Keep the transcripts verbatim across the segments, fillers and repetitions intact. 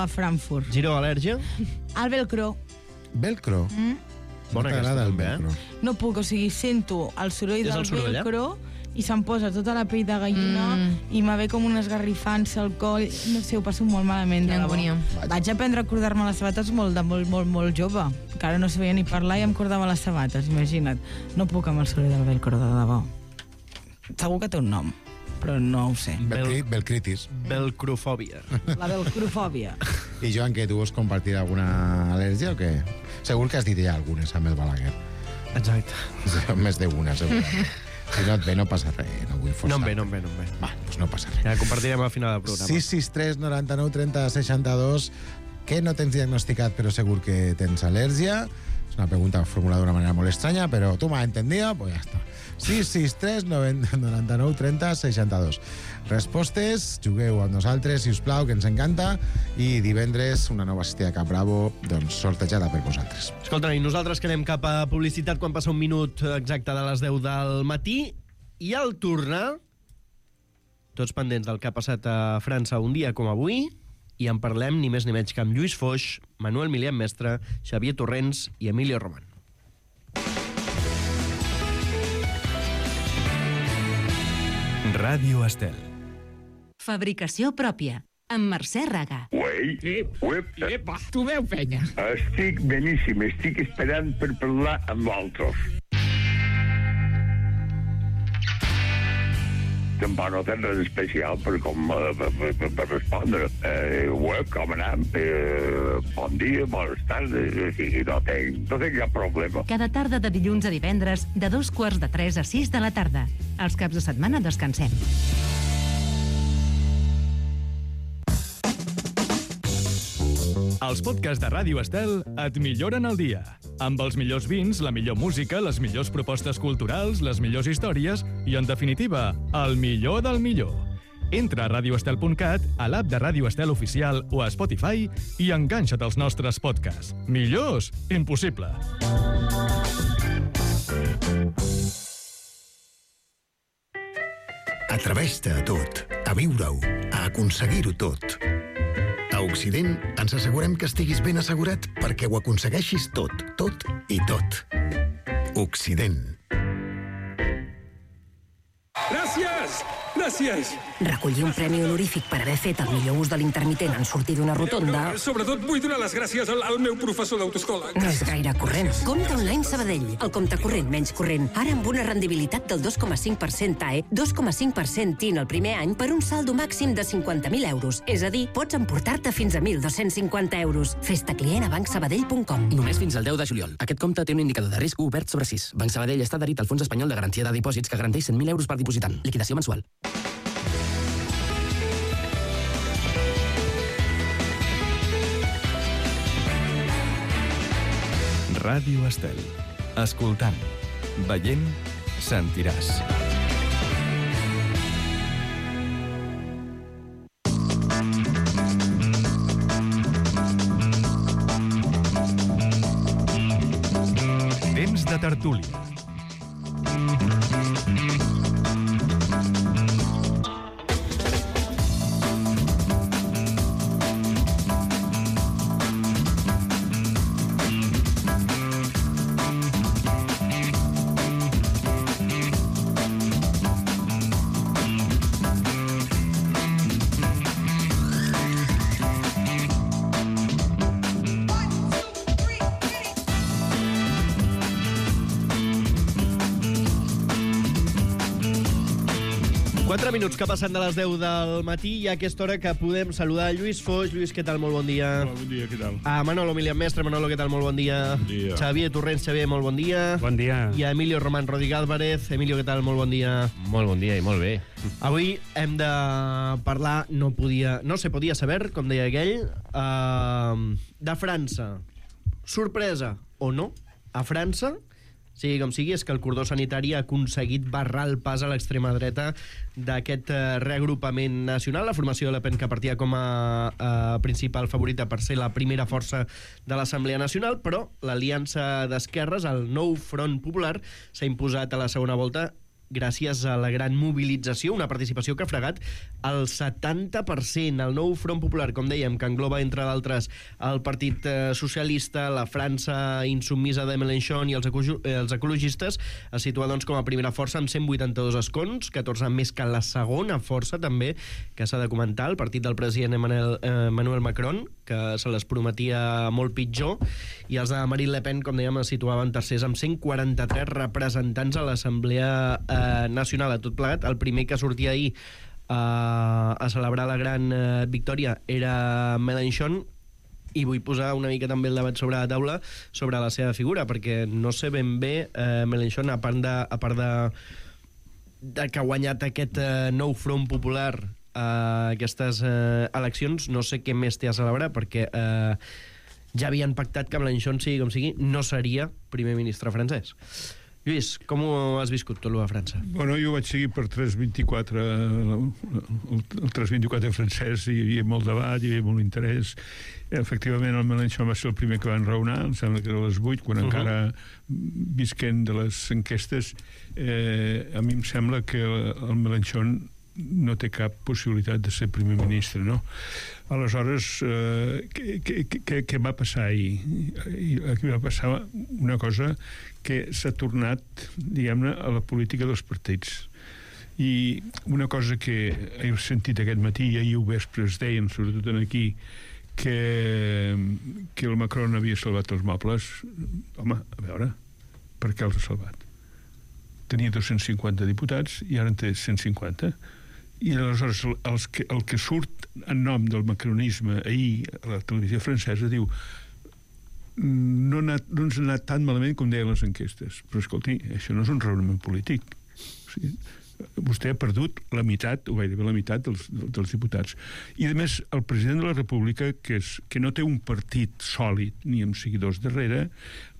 a Frankfurt. Giro, al·lèrgia? El velcro. Velcro? Mm? No t'agrada el velcro? No puc, o sigui, sento el soroll És del el soroll, velcro i se'm posa tota la pell de gallina Mm. i me ve com una esgarrifança al coll. No sé, ho passo molt malament. Quina de debò. angúnia. Vaig aprendre a cordar-me les sabates molt, de molt, molt, molt jove. Encara no sabia ni parlar i em cordava les sabates, imagina't. No puc amb el soroll del velcro, de debò. Segur que té un nom, però no ho sé. Velcri, velcritis. Velcrofòbia. La velcrofòbia. I Joan, que tu vols compartir alguna al·lèrgia o què? Segur que has dit ja algunes amb el Balaguer. Exacte. Més d'una, segur. Si no et ve, no passa res. No vull forçar. No em ve, no em ve, no em ve. Va, doncs no passa res. Ja compartirem al final del programa. sis sis tres noranta-nou trenta seixanta-dos. Que no tens diagnosticat, però segur que tens al·lèrgia. És una pregunta formulada d'una manera molt estranya, però tu m'has entendido, pues ja està. sis sis tres noranta-nou trenta seixanta-dos. Respostes, jugueu amb nosaltres, si us plau, que ens encanta, i divendres una nova cistella Cap Bravo, doncs sortejada per vosaltres. Escolta, i nosaltres que anem cap a publicitat quan passa un minut exacte de les deu del matí, i al tornar, tots pendents del que ha passat a França un dia com avui, i en parlem ni més ni menys que amb Lluís Foix, Manuel Milian Mestre, Xavier Torrents i Emilio Roman. Ràdio Estel. Fabricació pròpia, amb Mercè Raga. Uei, uep, Epa, tu veu, penya. estic beníssim, estic esperant per parlar amb l'altre. Tampoc no tens res especial per, com, per, per, per respondre. Eh, uep, com anem? Eh, bon dia, bones tardes, o sigui, no tinc, no tinc cap problema. Cada tarda de dilluns a divendres, de dos quarts de tres a sis de la tarda. Els caps de setmana descansem. Els podcasts de Ràdio Estel et milloren el dia. Amb els millors vins, la millor música, les millors propostes culturals, les millors històries i, en definitiva, el millor del millor. Entra a radio estel punt cat, a l'app de Ràdio Estel Oficial o a Spotify i enganxa't als nostres podcasts. Millors? Impossible. Atreveix-te a tot, a viure-ho, a aconseguir-ho tot. A Occident ens assegurem que estiguis ben assegurat perquè ho aconsegueixis tot, tot i tot. Occident. Gràcies! Gràcies! Recollir un premi honorífic per haver fet el millor ús de l'intermitent en sortir d'una rotonda... No, sobretot vull donar les gràcies al, al meu professor d'autoescola. No és gaire corrent. Compte online Sabadell. El compte corrent menys corrent. Ara amb una rendibilitat del dos coma cinc per cent T A E, dos coma cinc per cent T I N el primer any per un saldo màxim de cinquanta mil euros. És a dir, pots emportar-te fins a mil dos-cents cinquanta euros. Fes-te client a banc sabadell punt com. Només fins al deu de juliol. Aquest compte té un indicador de risc obert sobre sis. Banc Sabadell està adherit al Fons Espanyol de Garantia de Dipòsits que garanteix cent mil euros per dipositant. Liquidació mensual. Ràdio Estel. Escoltant, veient, sentiràs. Temps de tertúlia. quatre minuts que passen de les deu del matí i a aquesta hora que podem saludar Lluís Foix. Lluís, què tal? Molt bon dia. Hola, bon dia, què tal? A Manolo Milian Mestre. Manolo, què tal? Molt bon dia. Bon dia. Xavier Torrents. Xavier, molt bon dia. Bon dia. I a Emilio Román Rodríguez Álvarez. Emilio, què tal? Molt bon dia. Molt bon dia i molt bé. Avui hem de parlar, no podia, no se podia saber, com deia aquell, uh, de França. Sorpresa o no, a França, sigui com sigui, és que el cordó sanitari ha aconseguit barrar el pas a l'extrema dreta d'aquest uh, reagrupament nacional. La formació de Le Pen, que partia com a uh, principal favorita per ser la primera força de l'Assemblea Nacional, però l'aliança d'esquerres, el nou Front Popular, s'ha imposat a la segona volta gràcies a la gran mobilització, una participació que ha fregat el setanta per cent. El nou Front Popular, com dèiem, que engloba, entre d'altres, el Partit Socialista, la França insubmisa de Mélenchon i els, els ecologistes, es situa doncs, com a primera força amb cent vuitanta-dos escons, catorze més que la segona força, també, que s'ha de comentar, el partit del president Emmanuel, eh, Emmanuel Macron, que se les prometia molt pitjor, i els de Marine Le Pen, com dèiem, es situaven tercers amb cent quaranta-tres representants a l'Assemblea eh, Nacional. A tot plegat, el primer que sortia ahir eh, a celebrar la gran eh, victòria era Mélenchon, i vull posar una mica també el debat sobre la taula sobre la seva figura, perquè no sé ben bé eh, Mélenchon, a part de, a part de, de que ha guanyat aquest eh, nou Front Popular a eh, aquestes eh, eleccions, no sé què més té a celebrar, perquè eh, ja havien pactat que Mélenchon, sigui com sigui, no seria primer ministre francès. Lluís, com ho has viscut tot, a França? Bueno, jo vaig seguir per tres vint-i-quatre, el tres vint-i-quatre francès, hi havia molt debat, hi havia molt interès. Efectivament, el Mélenchon va ser el primer que va enraonar, em sembla que era a les vuit, quan uh-huh. encara visquent de les enquestes, eh, a mi em sembla que el Mélenchon no té cap possibilitat de ser primer ministre, no? Aleshores, eh, què, què, què va passar ahir? Aquí va passar una cosa que s'ha tornat, diguem-ne, a la política dels partits. I una cosa que he sentit aquest matí, i ahir ho vespre es deien, sobretot aquí, que, que el Macron havia salvat els mobles. Home, a veure, per què els ha salvat? Tenia dos-cents cinquanta diputats i ara en té cent cinquanta. I aleshores els que, el que surt en nom del macronisme ahir a la televisió francesa diu no, anat, no ens ha anat tan malament com deien les enquestes, però escolti, això no és un raonament polític. O sigui, vostè ha perdut la meitat, o gairebé la meitat dels, dels diputats. I a més, el president de la República, que, és, que no té un partit sòlid ni amb seguidors darrere,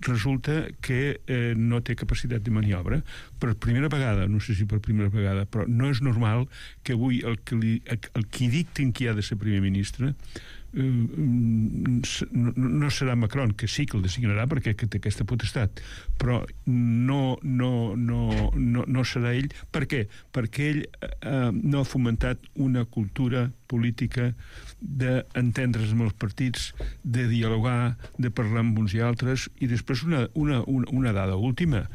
resulta que eh, no té capacitat de maniobra. Per primera vegada, no sé si per primera vegada, però no és normal que avui el que, li, el qui dictin qui ha de ser primer ministre no, no serà Macron, que sí que el designarà perquè té aquesta potestat, però no, no, no, no, no serà ell. Per què? Perquè ell eh, no ha fomentat una cultura política d'entendre's amb els partits, de dialogar, de parlar amb uns i altres. I després una, una, una, una dada última,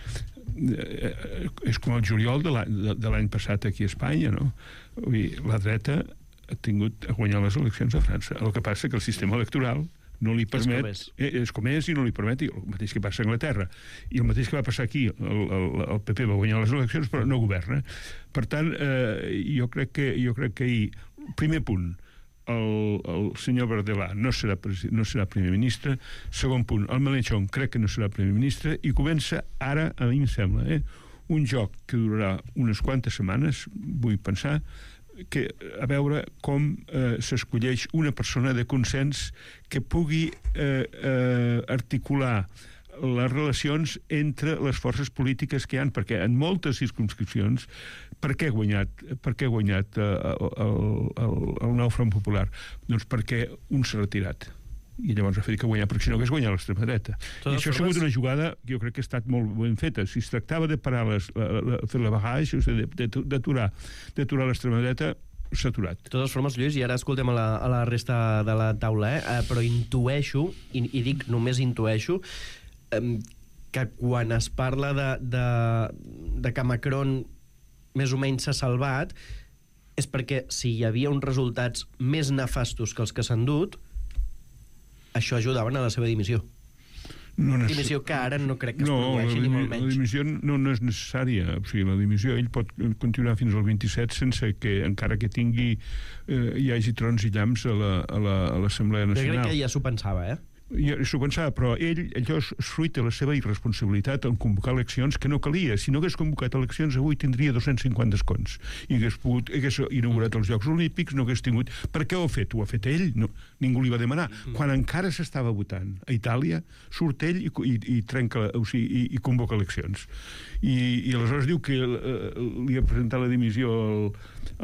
eh, és com el juliol de l'any passat aquí a Espanya, no? Vull dir, la dreta ha tingut a guanyar les eleccions a França. El que passa que el sistema electoral no li permet... És com és. És com és i no li permet, el mateix que passa a Anglaterra. I el mateix que va passar aquí, el, el, el P P va guanyar les eleccions, però no governa. Per tant, eh, jo crec que jo crec que ahir, primer punt, el, el senyor Verdelà no serà, no serà primer ministre. Segon punt, el Mélenchon crec que no serà primer ministre, i comença ara, a mi em sembla, eh, un joc que durarà unes quantes setmanes, vull pensar, que a veure com eh, s'escolleix una persona de consens que pugui eh, eh, articular les relacions entre les forces polítiques que hi ha, perquè en moltes circumscripcions, per què ha guanyat, per què ha guanyat eh, el, el, el nou Front Popular? Doncs perquè un s'ha retirat. I llavors ha fet que guanyar, perquè si no hagués guanyat l'extrema dreta. I això ha sigut una jugada que jo crec que ha estat molt ben feta. Si es tractava de parar les, la, la, fer la barrage, o sigui, d'aturar d'aturar l'extrema dreta, s'ha aturat. De totes formes, Lluís, i ara escoltem a la, a la resta de la taula, eh? eh però intueixo, i, i dic només intueixo, eh, que quan es parla de, de, de que Macron més o menys s'ha salvat, és perquè si hi havia uns resultats més nefastos que els que s'han dut, això ajudaven a la seva dimissió. No necess... Dimissió que ara no crec que es no, produeixi, ni molt menys. La dimissió no, no és necessària. O sigui, la dimissió, ell pot continuar fins al vint-i-set sense que, encara que tingui eh, hi hagi trons i llamps a l'Assemblea la, a Nacional. Jo crec que ja s'ho pensava, eh? Ja s'ho pensava, però ell, allò és fruit de la seva irresponsabilitat en convocar eleccions que no calia. Si no hagués convocat eleccions, avui tindria dos-cents cinquanta escons i hagués, pogut, hagués inaugurat els Jocs Olímpics, no hagués tingut... Per què ho ha fet? Ho ha fet ell? No, ningú li va demanar. Quan encara s'estava votant a Itàlia, surt ell i, i, i trenca, o sigui, i, i convoca eleccions. I, i aleshores diu que eh, li ha presentat la dimissió al,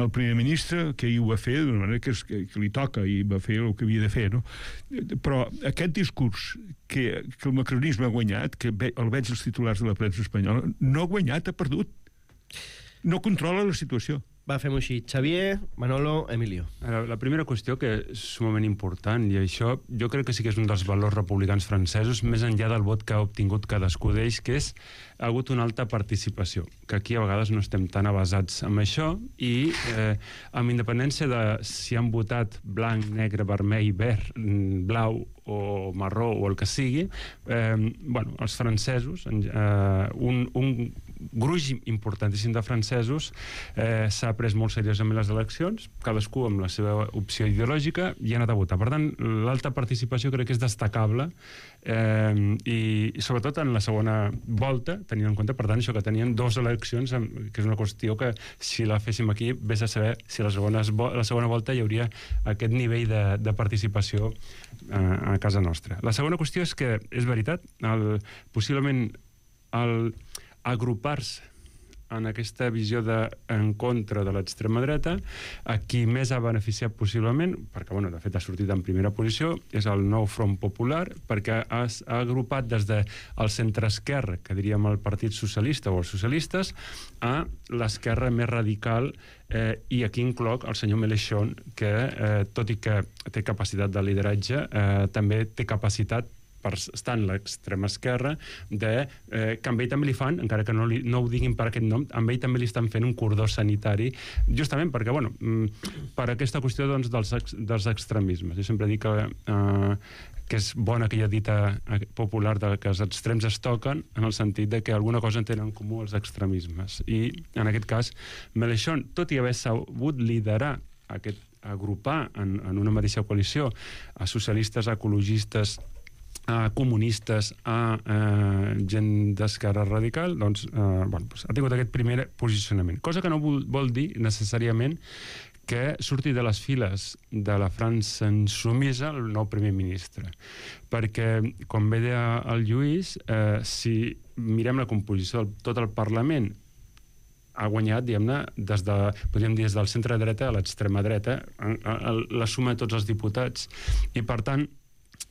al primer ministre, que ell ho va fer d'una manera que, és, que, que li toca i va fer el que havia de fer, no? Però aquest discurs que, que el macronisme ha guanyat, que el veig als titulars de la premsa espanyola, no ha guanyat, ha perdut. no controla la situació. Va, fem-ho així. Xavier, Manolo, Emilio. La, la primera qüestió, que és sumament important, i això jo crec que sí que és un dels valors republicans francesos, més enllà del vot que ha obtingut cadascú d'ells, que és ha hagut una alta participació, que aquí a vegades no estem tan avasats amb això, i eh, amb independència de si han votat blanc, negre, vermell, verd, blau o marró o el que sigui, eh, bueno, els francesos, eh, un, un gruix importantíssim de francesos eh, s'ha pres molt seriosament les eleccions, cadascú amb la seva opció ideològica, i ha anat a votar. Per tant, l'alta participació crec que és destacable, eh, i, i sobretot en la segona volta, tenint en compte, per tant, això que tenien dues eleccions, que és una qüestió que si la féssim aquí, vés a saber si a la segona, la segona volta hi hauria aquest nivell de, de participació eh, a casa nostra. La segona qüestió és que, és veritat, el, possiblement el agrupar-se en aquesta visió de en contra de l'extrema dreta, a qui més ha beneficiat possiblement, perquè, bueno, de fet ha sortit en primera posició, és el nou Front Popular, perquè ha, ha agrupat des del centre-esquerra, que diríem el Partit Socialista o els socialistes, a l'esquerra més radical, eh, i aquí incloc el senyor Mélenchon, que, eh, tot i que té capacitat de lideratge, eh, també té capacitat per estar en l'extrema esquerra, de, eh, que amb ell també li fan, encara que no, li, no ho diguin per aquest nom, amb ell també li estan fent un cordó sanitari, justament perquè, bueno, per aquesta qüestió, doncs, dels, ex, dels extremismes. Jo sempre dic que, eh, que és bona aquella dita popular de que els extrems es toquen, en el sentit de que alguna cosa en tenen en comú els extremismes. I, en aquest cas, Mélenchon, tot i haver sabut liderar aquest, agrupar en, en una mateixa coalició a socialistes, ecologistes, a comunistes, a eh, gent d'esquerra radical, doncs, eh, bueno, doncs ha tingut aquest primer posicionament. Cosa que no vol, vol dir necessàriament que surti de les files de la França insumisa el nou primer ministre. Perquè, com bé deia el Lluís, eh, si mirem la composició de tot el Parlament, ha guanyat, diguem-ne, des de, podríem dir, des del centre-dreta a l'extrema dreta, la suma de tots els diputats. I, per tant,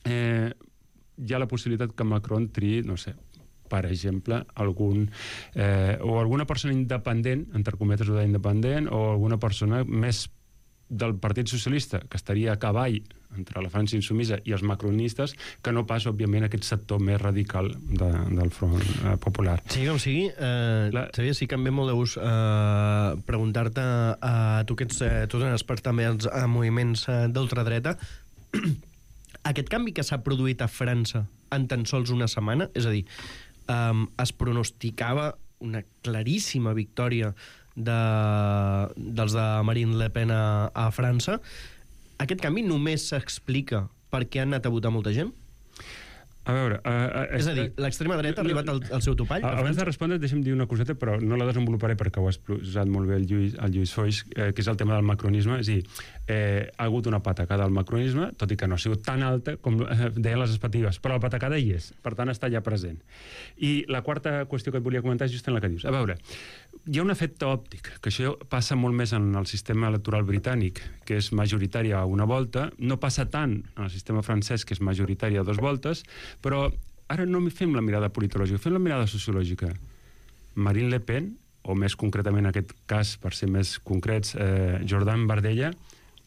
eh, hi ha la possibilitat que Macron triï, no sé, per exemple, algun, eh, o alguna persona independent, entre cometes o d'independent, o alguna persona més del Partit Socialista, que estaria a cavall entre la França insumisa i els macronistes, que no pas, òbviament, aquest sector més radical de, del Front eh, Popular. Sí, com sigui, eh, la... Xavier, sí que em ve molt de gust eh, preguntar-te a eh, tu que ets, eh, tu ets expert també als a moviments eh, d'ultradreta. Aquest canvi que s'ha produït a França en tan sols una setmana, és a dir, um, es pronosticava una claríssima victòria de, dels de Marine Le Pen a, a França. Aquest canvi només s'explica perquè han anat a votar molta gent? A veure... Uh, uh, és a dir, l'extrema dreta ha arribat al, al seu topall? Abans de respondre, deixa'm dir una coseta, però no la desenvoluparé perquè ho ha exposat molt bé el Lluís, el Lluís Foix, eh, que és el tema del macronisme. És a dir, eh, ha hagut una patacada al macronisme, tot i que no ha sigut tan alta com eh, deien les expectatives, però la patacada hi és, per tant està ja present. I la quarta qüestió que et volia comentar és just en la que dius. A veure, hi ha un efecte òptic, que això passa molt més en el sistema electoral britànic, que és majoritari a una volta, no passa tant en el sistema francès, que és majoritari a dues voltes, però ara no fem la mirada politològica, fem la mirada sociològica. Marine Le Pen, o més concretament en aquest cas, per ser més concrets, eh, Jordan Bardella,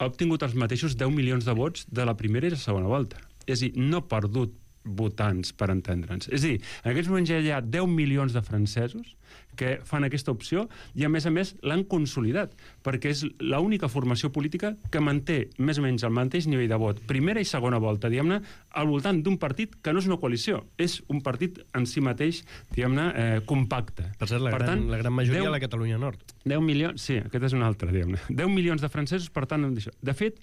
ha obtingut els mateixos deu milions de vots de la primera i la segona volta. És a dir, no ha perdut votants, per entendre'ns. És a dir, en aquests moments ja hi ha deu milions de francesos que fan aquesta opció i, a més a més, l'han consolidat, perquè és l'única formació política que manté més o menys el mateix nivell de vot, primera i segona volta, diguem-ne, al voltant d'un partit que no és una coalició, és un partit en si mateix, diguem-ne, eh, compacte. Per cert, la, per gran, tant, la gran majoria deu, a la Catalunya Nord. deu milions, sí, aquest és un altre, diguem-ne. deu milions de francesos, per tant, de fet,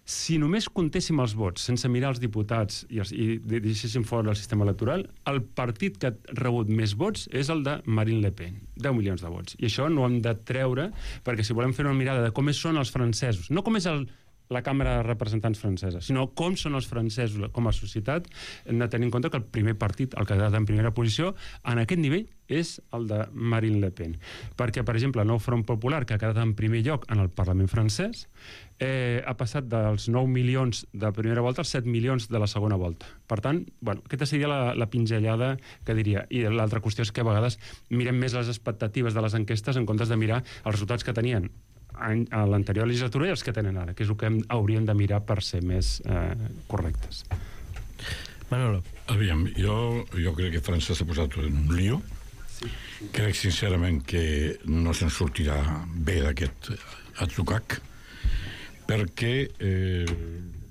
si només comptéssim els vots, sense mirar els diputats i, els, i deixéssim fora el sistema electoral, el partit que ha rebut més vots és el de Marine Le Pen, deu milions de vots. I això no ho hem de treure, perquè si volem fer una mirada de com són els francesos, no com és el la Càmera de Representants francesa, sinó com són els francesos com a societat. Hem de tenir en compte que el primer partit, el que ha quedat en primera posició, en aquest nivell és el de Marine Le Pen. Perquè, per exemple, el Nou Front Popular, que ha quedat en primer lloc en el Parlament francès, eh, ha passat dels nou milions de primera volta als set milions de la segona volta. Per tant, bueno, aquesta seria la, la pinzellada que diria. I l'altra qüestió és que a vegades mirem més les expectatives de les enquestes en comptes de mirar els resultats que tenien a l'anterior legislatura i els que tenen ara, que és el que hem, hauríem de mirar per ser més eh, correctes. Manolo. Aviam, jo, jo crec que França s'ha posat en un lío. Sí. Crec sincerament que no se'n sortirà bé d'aquest atzucac, perquè eh,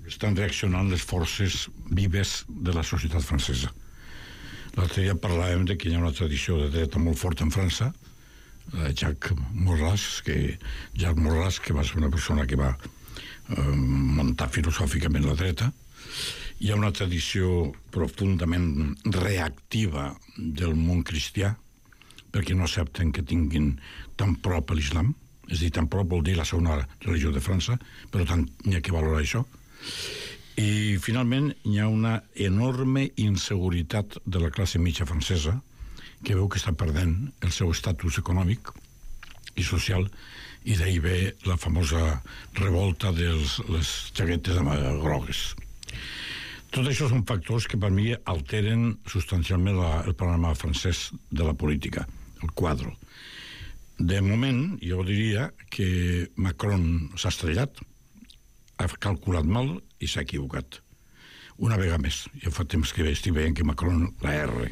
estan reaccionant les forces vives de la societat francesa. L'altre dia parlàvem de que hi ha una tradició de dreta molt forta en França, Jacques Maurras, que Jacques Maurras, que va ser una persona que va eh, muntar filosòficament la dreta. Hi ha una tradició profundament reactiva del món cristià, perquè no accepten que tinguin tan prop a l'islam, és a dir, tan prop vol dir la segona religió de França, però tant n'hi ha que valorar això. I finalment hi ha una enorme inseguretat de la classe mitja francesa, que veu que està perdent el seu estatus econòmic i social, i d'ahir ve la famosa revolta de les jaquetes grogues. Tot això són factors que per mi alteren substancialment la, el panorama francès de la política, el quadre. De moment, jo diria que Macron s'ha estrellat, ha calculat mal i s'ha equivocat. Una vegada més. Jo fa temps que estic veient que Macron la erra.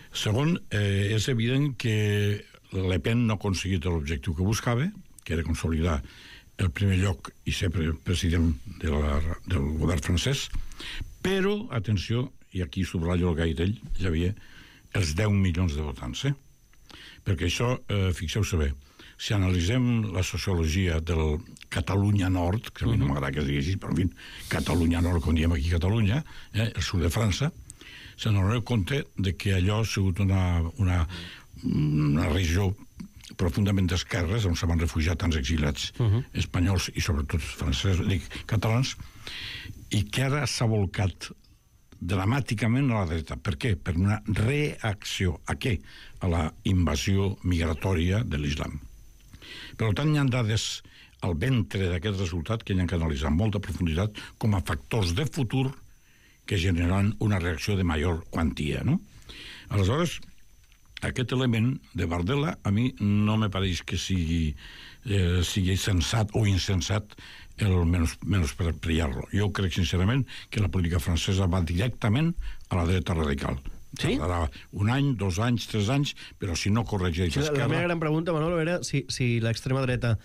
Segon, eh, és evident que Le Pen no ha aconseguit l'objectiu que buscava, que era consolidar el primer lloc i ser president de la, del govern francès, però, atenció, i aquí subratllo el gai d'ell, ja havia els deu milions de votants, eh? Perquè això, eh, fixeu-se bé, si analitzem la sociologia del Catalunya Nord, que a mi no m'agrada que es digui així, però en fi, Catalunya Nord, com diem aquí a Catalunya, eh, el sud de França, se n'adoneu compte de que allò ha sigut una, una, una regió profundament d'esquerres on se van refugiar tants exiliats uh -huh. espanyols i sobretot francesos, dic, catalans, i que ara s'ha volcat dramàticament a la dreta. Per què? Per una reacció. A què? A la invasió migratòria de l'islam. Per tant, hi ha dades al ventre d'aquest resultat que hi ha que analitzar amb molta profunditat com a factors de futur que generen una reacció de major quantia, no? Aleshores, aquest element de Bardella a mi no me pareix que sigui, eh, sigui sensat o insensat el menys, menys per brillar-lo. Jo crec sincerament que la política francesa va directament a la dreta radical. Sí? Tardarà un any, dos anys, tres anys, però si no corregeix sí, l'esquerra... La meva gran pregunta, Manolo, era si, si l'extrema dreta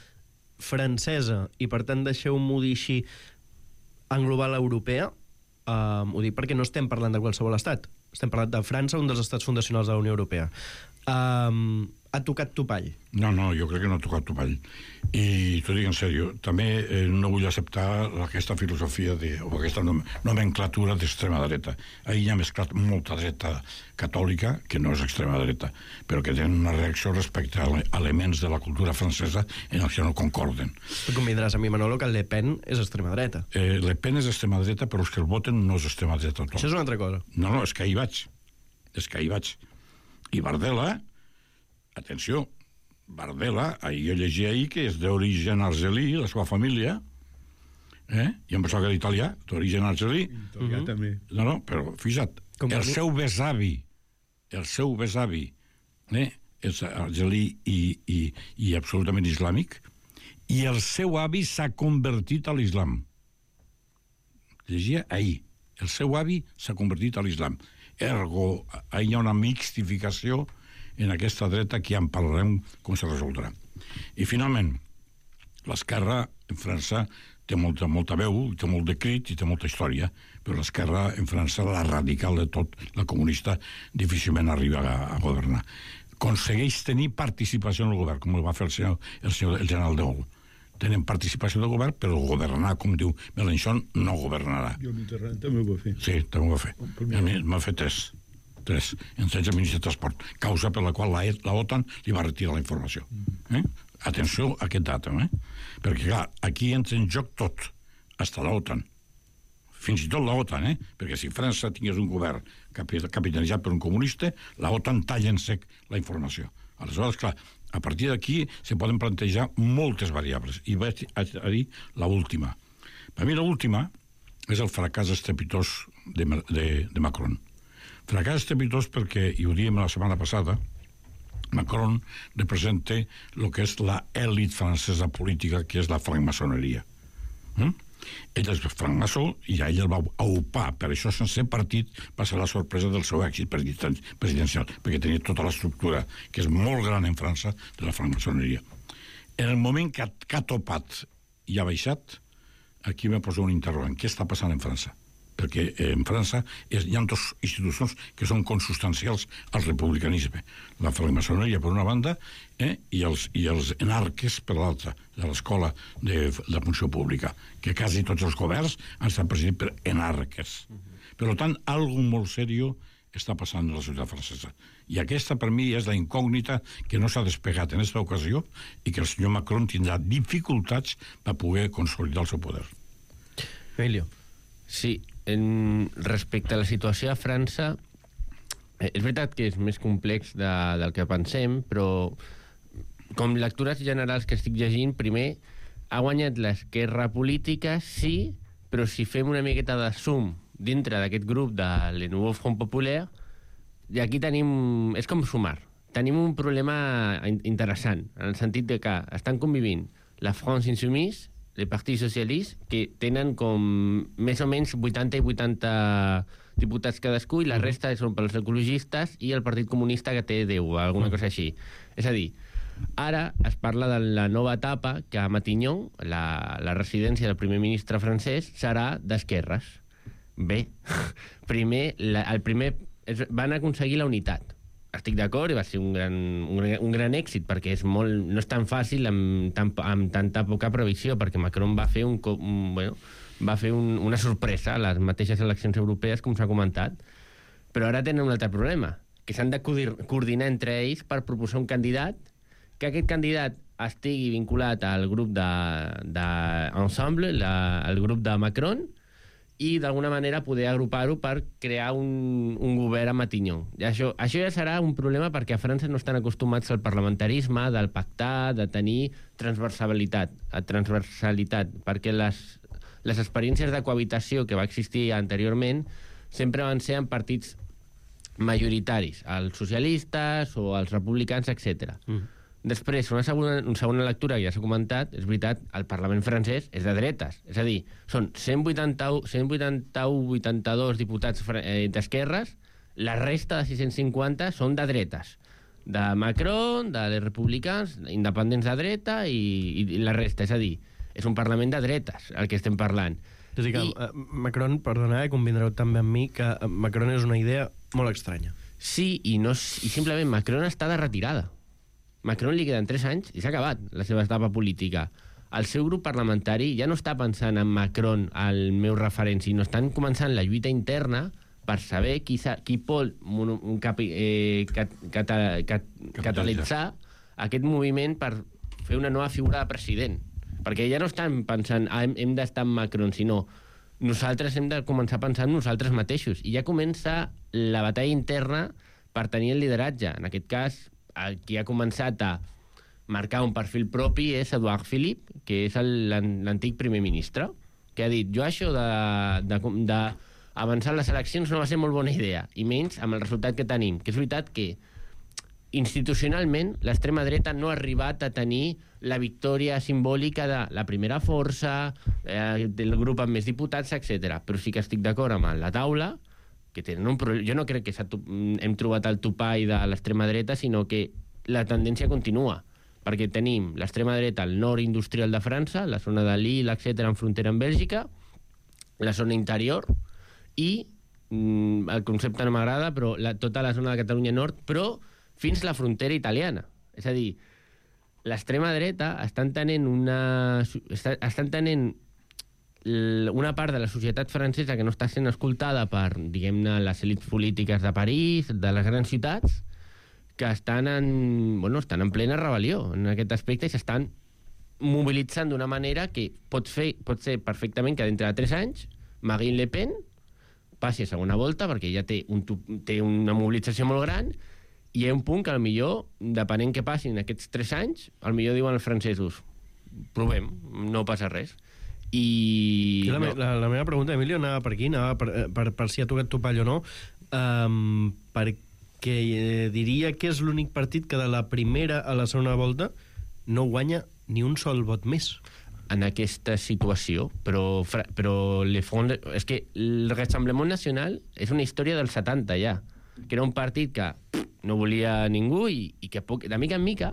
francesa, i per tant deixeu-m'ho dir així, englobar l'europea, Uh, ho dic perquè no estem parlant de qualsevol estat, estem parlant de França, un dels estats fundacionals de la Unió Europea. Um, ha tocat topall? No, no, jo crec que no ha tocat topall. I t'ho dic en sèrio, també eh, no vull acceptar aquesta filosofia de, o aquesta nomenclatura d'extrema dreta. Ahir hi ha mesclat molta dreta catòlica, que no és extrema dreta, però que tenen una reacció respecte a elements de la cultura francesa en els que no concorden. Tu convindràs a mi, Manolo, que Le Pen és extrema dreta. Eh, Le Pen és extrema dreta, però els que el voten no és extrema dreta tot. Això és una altra cosa. No, no, és que ahir vaig. És que ahir vaig. I Bardella, atenció, Bardella, ahir jo llegia ahir que és d'origen argelí, la seva família, eh? I em pensava que era italià, d'origen argelí. Italià uh-huh. també. No, no, però fixa't, com el seu besavi, el seu besavi, eh? és argelí i, i, i absolutament islàmic, i el seu avi s'ha convertit a l'islam. Llegia ahir, el seu avi s'ha convertit a l'islam. Ergo, hi ha una mixtificació en aquesta dreta que ja en parlarem com se resoldrà. I finalment, l'esquerra en França té molta, molta veu, té molt de crit i té molta història, però l'esquerra en França, la radical de tot, la comunista, difícilment arriba a, a governar. Aconsegueix tenir participació en el govern, com el va fer el, senyor, el, senyor, el general de Gaulle. Tenen participació del govern, però governar, com diu Mélenchon, no governarà. I el Mitterrand també ho va fer. Sí, també ho va fer. M'ha fet tres. Tres. En setze ministres de transport. Causa per la qual la, la OTAN li va retirar la informació. Eh? Atenció a aquest datum, eh? Perquè, clar, aquí entra en joc tot, hasta l'OTAN. Fins i tot l'OTAN, eh? Perquè si França tingués un govern capitalitzat per un comunista, l'OTAN talla en sec la informació. Aleshores, clar, a partir d'aquí se poden plantejar moltes variables. I vaig a dir l'última. Per mi l'última és el fracàs estrepitós de, de, de Macron. Fracàs estrepitós perquè, i ho diem la setmana passada, Macron representa el que és la èlit francesa política, que és la francmaçoneria. Mm? Ell és francmaçó i a ell el va aupar, per això sense partit va ser la sorpresa del seu èxit presidencial, perquè tenia tota l'estructura, que és molt gran en França, de la francmaçoneria. En el moment que ha, que ha topat i ha baixat, aquí me poso un interrogant. Què està passant en França? Perquè en França és, hi ha dues institucions que són consustancials al republicanisme. La francmaçoneria per una banda eh, i, els, i els enarques per l'altra, de l'escola de la funció pública, que quasi tots els governs han estat presidits per enarques. Per tant, algo molt seriós està passant en la societat francesa. I aquesta, per mi, és la incògnita que no s'ha despegat en aquesta ocasió i que el senyor Macron tindrà dificultats per poder consolidar el seu poder. Emilio. Sí, en, respecte a la situació a França, eh, és veritat que és més complex de, del que pensem, però com lectures generals que estic llegint, primer, ha guanyat l'esquerra política, sí, però si fem una miqueta de zoom dintre d'aquest grup de Le Nouveau Front Populaire, i aquí tenim... és com sumar. Tenim un problema interessant, en el sentit de que estan convivint la France Insoumise, el Partit Socialista, que tenen com més o menys vuitanta i vuitanta diputats cadascú, i la resta són pels ecologistes, i el Partit Comunista, que té deu, alguna cosa així. És a dir, ara es parla de la nova etapa, que a Matignon, la, la residència del primer ministre francès, serà d'esquerres. Bé, primer, la, el primer és, van aconseguir la unitat. Estic d'acord, i va ser un gran, un, un gran èxit, perquè és molt, no és tan fàcil amb, tan, amb tanta poca previsió, perquè Macron va fer, un, un, bueno, va fer un, una sorpresa a les mateixes eleccions europees, com s'ha comentat, però ara tenen un altre problema, que s'han de coordinar entre ells per proposar un candidat, que aquest candidat estigui vinculat al grup d'Ensemble, el grup de Macron, i d'alguna manera poder agrupar-ho per crear un, un govern a Matignon. I això, això ja serà un problema perquè a França no estan acostumats al parlamentarisme, del pactar, de tenir transversalitat, transversalitat perquè les, les experiències de cohabitació que va existir anteriorment sempre van ser en partits majoritaris, els socialistes o els republicans, etcètera. Mm. Després, una segona, una segona lectura, que ja s'ha comentat, és veritat, el Parlament francès és de dretes. És a dir, són cent vuitanta-u, cent vuitanta-u, vuitanta-dos diputats eh, d'esquerres, la resta de sis-cents cinquanta són de dretes. De Macron, de les republicans, independents de dreta i, i la resta. És a dir, és un Parlament de dretes, el que estem parlant. És a dir, que I... Macron, perdona, eh, convindreu també amb mi, que Macron és una idea molt estranya. Sí, i, no, i simplement Macron està de retirada. Macron li queden tres anys i s'ha acabat la seva etapa política. El seu grup parlamentari ja no està pensant en Macron, el meu referent, sinó estan començant la lluita interna per saber qui, qui pot un, un capi, eh, cat, cat, cat, catalitzar aquest moviment per fer una nova figura de president. Perquè ja no estan pensant ah, hem, hem d'estar amb Macron, sinó nosaltres hem de començar a pensar en nosaltres mateixos. I ja comença la batalla interna per tenir el lideratge. En aquest cas, el qui ha començat a marcar un perfil propi és Edouard Philippe, que és l'antic primer ministre, que ha dit, jo això d'avançar les eleccions no va ser molt bona idea, i menys amb el resultat que tenim, que és veritat que institucionalment l'extrema dreta no ha arribat a tenir la victòria simbòlica de la primera força, eh, del grup amb més diputats, etcètera. Però sí que estic d'acord amb la taula, que tenen un problema. Jo no crec que hem trobat el topall de l'extrema dreta, sinó que la tendència continua, perquè tenim l'extrema dreta al nord industrial de França, la zona de Lille, etcètera, en frontera amb Bèlgica, la zona interior, i mm, el concepte no m'agrada, però la, tota la zona de Catalunya Nord, però fins la frontera italiana. És a dir, l'extrema dreta estan tenint una... estan tenint una part de la societat francesa que no està sent escoltada per, diguem-ne, les elits polítiques de París, de les grans ciutats, que estan en, bueno, estan en plena rebel·lió en aquest aspecte i s'estan mobilitzant d'una manera que pot, fer, pot ser perfectament que dintre de tres anys Marine Le Pen passi a segona volta perquè ja té, un, té una mobilització molt gran i hi ha un punt que potser, depenent què passin aquests tres anys, potser diuen els francesos provem, no passa res. I... La, no. la, la meva pregunta, Emilio, anava per aquí, anava per, per, per si ha tocat topall o no, um, perquè eh, diria que és l'únic partit que de la primera a la segona volta no guanya ni un sol vot més. En aquesta situació, però, però le Front, és que el Rassemblement Nacional és una història dels setanta ja, que era un partit que pff, no volia ningú i, i que poc, de mica en mica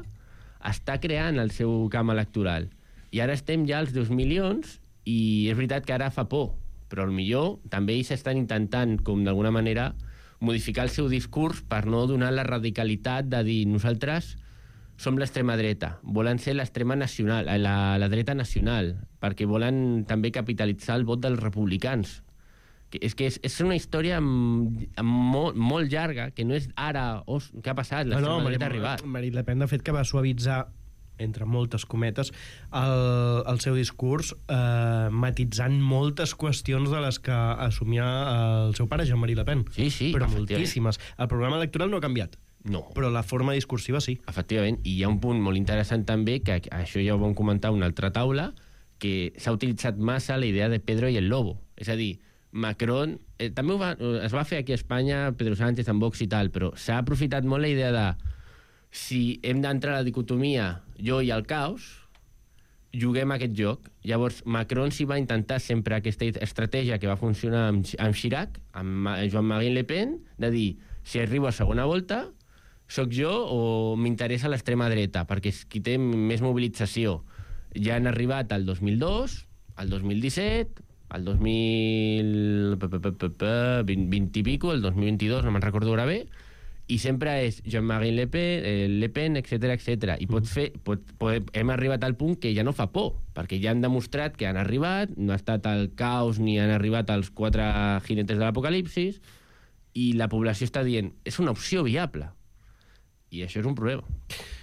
està creant el seu camp electoral. I ara estem ja als dos milions i és veritat que ara fa por, però millor també ells estan intentant, com d'alguna manera, modificar el seu discurs per no donar la radicalitat de dir nosaltres som l'extrema dreta, volen ser l'extrema nacional, la, la dreta nacional, perquè volen també capitalitzar el vot dels republicans. Que és que és, és una història amb, amb molt, molt llarga, que no és ara, oh, què ha passat, l'extrema no, no, dreta ha arribat. Marine Le Pen, de fet, que va suavitzar entre moltes cometes, el, el seu discurs, eh, matitzant moltes qüestions de les que assumia el seu pare, Jean-Marie Le Pen. Sí, sí, però moltíssimes. El programa electoral no ha canviat. No. Però la forma discursiva sí. Efectivament, i hi ha un punt molt interessant també, que això ja ho vam comentar a una altra taula, que s'ha utilitzat massa la idea de Pedro i el Lobo. És a dir, Macron, eh, també ho va, es va fer aquí a Espanya, Pedro Sánchez en Vox i tal, però s'ha aprofitat molt la idea de si hem d'entrar a la dicotomia jo i el caos, juguem aquest joc. Llavors, Macron s'hi va intentar sempre aquesta estratègia que va funcionar amb, amb Chirac, amb Jean-Marie Le Pen, de dir, si arribo a segona volta, sóc jo o m'interessa l'extrema dreta, perquè és qui té més mobilització. Ja han arribat al dos mil dos, al dos mil disset, al dos mil vint i pico, el dos mil vint-i-dos, no me'n recordo ara bé, i sempre és Jean-Marie Le Pen, eh, Le Pen, etcètera, etcètera. I pot fer, pot, pot, hem arribat al punt que ja no fa por, perquè ja han demostrat que han arribat, no ha estat el caos ni han arribat els quatre jinetes de l'apocalipsis, i la població està dient, és una opció viable. I això és un problema,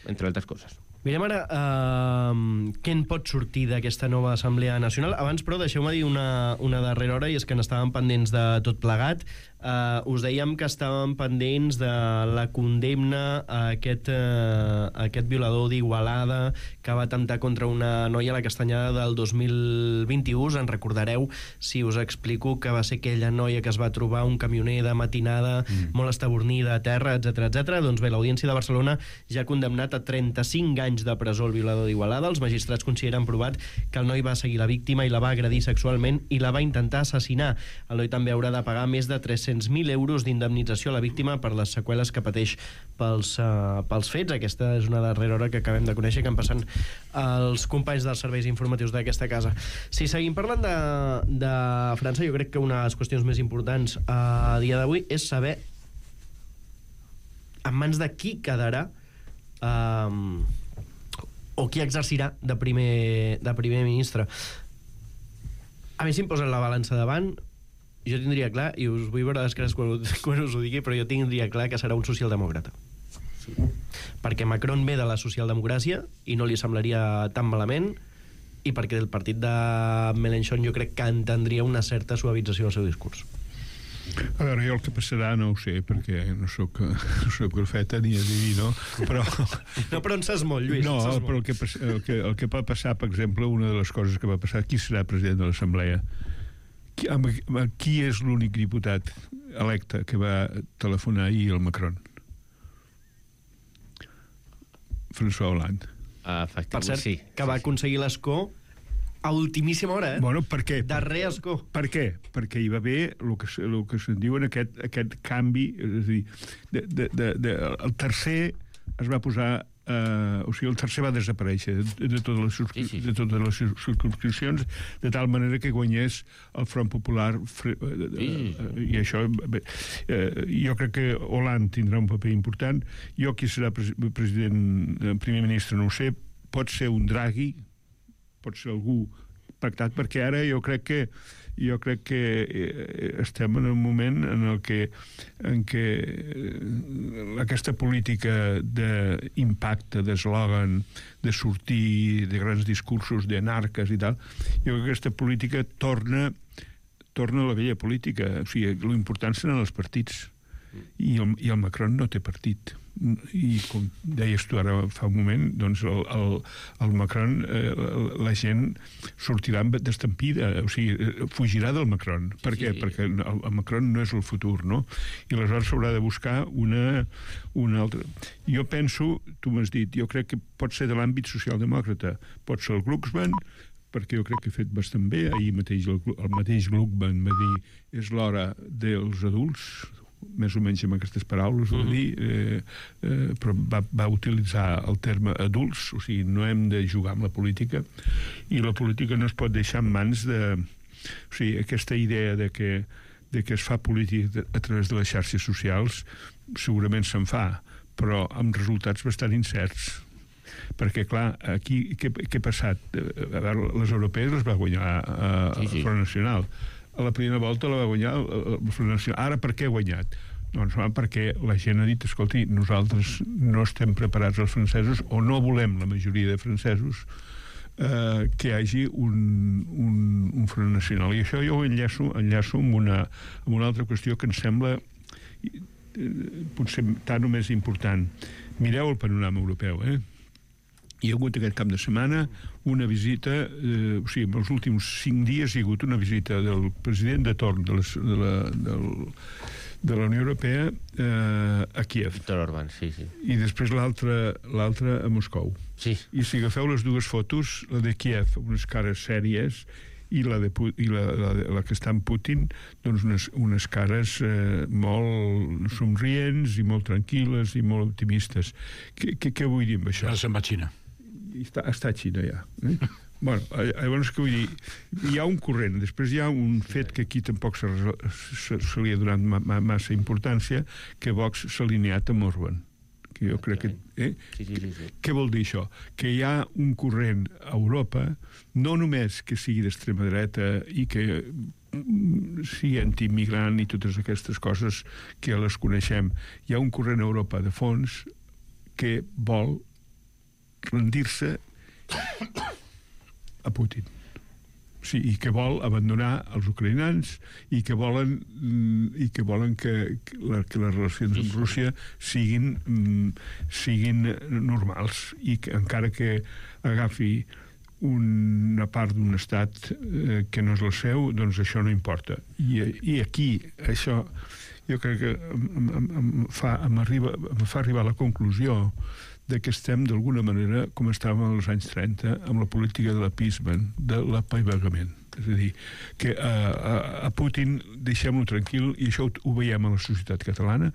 entre altres coses. Mirem ara uh, què en pot sortir d'aquesta nova Assemblea Nacional. Abans, però, deixeu-me dir una, una darrera hora, i és que n'estàvem pendents de tot plegat. Uh, us dèiem que estàvem pendents de la condemna a aquest, uh, a aquest violador d'Igualada que va atemptar contra una noia a la Castanyada del dos mil vint-i-u. Us en recordareu si us explico que va ser aquella noia que es va trobar un camioner de matinada mm. molt estabornida a terra, etcètera, etcètera. Doncs bé, l'Audiència de Barcelona ja ha condemnat a trenta-cinc anys de presó el violador d'Igualada. Els magistrats consideren provat que el noi va seguir la víctima i la va agredir sexualment i la va intentar assassinar. El noi també haurà de pagar més de tres-cents mil euros d'indemnització a la víctima per les seqüeles que pateix pels, uh, pels fets. Aquesta és una darrera hora que acabem de conèixer, que han passat els companys dels serveis informatius d'aquesta casa. Si seguim parlant de, de França, jo crec que una de les qüestions més importants a dia d'avui és saber en mans de qui quedarà um, o qui exercirà de primer, de primer ministre. A mi si em posen la balança davant, jo tindria clar, i us vull veure les cares quan, quan us ho digui, però jo tindria clar que serà un socialdemòcrata. Sí. Perquè Macron ve de la socialdemocràcia i no li semblaria tan malament, i perquè del partit de Mélenchon jo crec que entendria una certa suavització al seu discurs. A veure, jo el que passarà no ho sé, perquè no soc, no soc profeta ni adivino, però... No, però en saps molt, Lluís. No, però el que, el, que, el que pot passar, per exemple, una de les coses que va passar, qui serà president de l'Assemblea? Qui, amb, amb, qui és l'únic diputat electe que va telefonar ahir al Macron? François Hollande. Uh, per cert, sí, que va sí, sí. aconseguir l'escó a ultimíssima hora, eh? Bueno, per què? Darrer escó. Per què? Perquè hi va haver el que, el que se'n diuen aquest, aquest canvi, és a dir, de, de, de, de, el tercer es va posar, eh, o sigui, el tercer va desaparèixer de, de, totes les, sí, sí. de totes les circumscripcions, de tal manera que guanyés el Front Popular, fre, eh, sí. eh, i això, bé, eh, jo crec que Hollande tindrà un paper important. Jo qui serà pres, president, primer ministre, no ho sé, pot ser un Draghi, pot ser algú pactat, perquè ara jo crec que jo crec que estem en un moment en el que, en què aquesta política d'impacte, d'eslògan, de sortir de grans discursos d'anarques i tal, jo crec que aquesta política torna, torna a la vella política. O sigui, l'important seran els partits. I el, i el Macron no té partit. I com deies tu ara fa un moment, doncs el, el, el Macron, eh, la gent sortirà d'estampida, o sigui, fugirà del Macron. Per què? Sí. Perquè el, el Macron no és el futur, no? I aleshores s'haurà de buscar una, una altra... Jo penso, tu m'has dit, jo crec que pot ser de l'àmbit socialdemòcrata, pot ser el Glucksmann, perquè jo crec que ha fet bastant bé. Ahir mateix el, el mateix Glucksmann va dir és l'hora dels adults, més o menys amb aquestes paraules, uh-huh. dir, eh, eh, però va, va utilitzar el terme adults, o sigui, no hem de jugar amb la política, i la política no es pot deixar en mans de... O sigui, aquesta idea de que, de que es fa política a través de les xarxes socials segurament se'n fa, però amb resultats bastant incerts. Perquè, clar, aquí què, què ha passat? A veure, les europees les va guanyar a, a sí, sí. Front Nacional. A la primera volta la va guanyar el Front Nacional. Ara per què ha guanyat? Doncs va, perquè la gent ha dit, escolti, nosaltres no estem preparats els francesos, o no volem la majoria de francesos, eh, que hi hagi un, un, un Front Nacional. I això jo ho enllaço, enllaço amb, una, amb una altra qüestió que em sembla eh, potser tant o més important. Mireu el panorama europeu, eh? Hi ha hagut aquest cap de setmana una visita, eh, o sigui, en els últims cinc dies hi ha hagut una visita del president de torn de, les, de, la, del, de la Unió Europea eh, a Kiev. Viktor Orbán, sí, sí. I després l'altra a Moscou. Sí. I si agafeu les dues fotos, la de Kiev, unes cares sèries, i la, de, i la, la, la que està en Putin, doncs unes, unes cares eh, molt somrients i molt tranquil·les i molt optimistes. Què, què, què vull dir amb això? Ara se'n va a Xina. Està, està a Xina, ja. Eh? Bueno, llavors, què vull dir? Hi ha un corrent, després hi ha un fet que aquí tampoc se, se, se li ha donat ma, ma, massa importància, que Vox s'ha alineat amb Orbán. Que jo crec que... Eh? Sí, sí, sí, sí. Què vol dir això? Que hi ha un corrent a Europa, no només que sigui d'extrema dreta i que sigui antiimmigrant i totes aquestes coses que les coneixem. Hi ha un corrent a Europa de fons que vol rendir-se a Putin. Sí, i que vol abandonar els ucraïnans i que volen i que volen que, que, la, que les relacions amb Rússia siguin siguin normals i que encara que agafi una part d'un estat eh, que no és el seu, doncs això no importa. I, i aquí això jo crec que em, em, em, fa, em, arriba, em fa arribar a la conclusió de que estem d'alguna manera com estàvem als anys trenta amb la política de l'appeasement, de l'apaivagament. És a dir, que a, a, a Putin deixem-lo tranquil, i això ho, ho veiem a la societat catalana.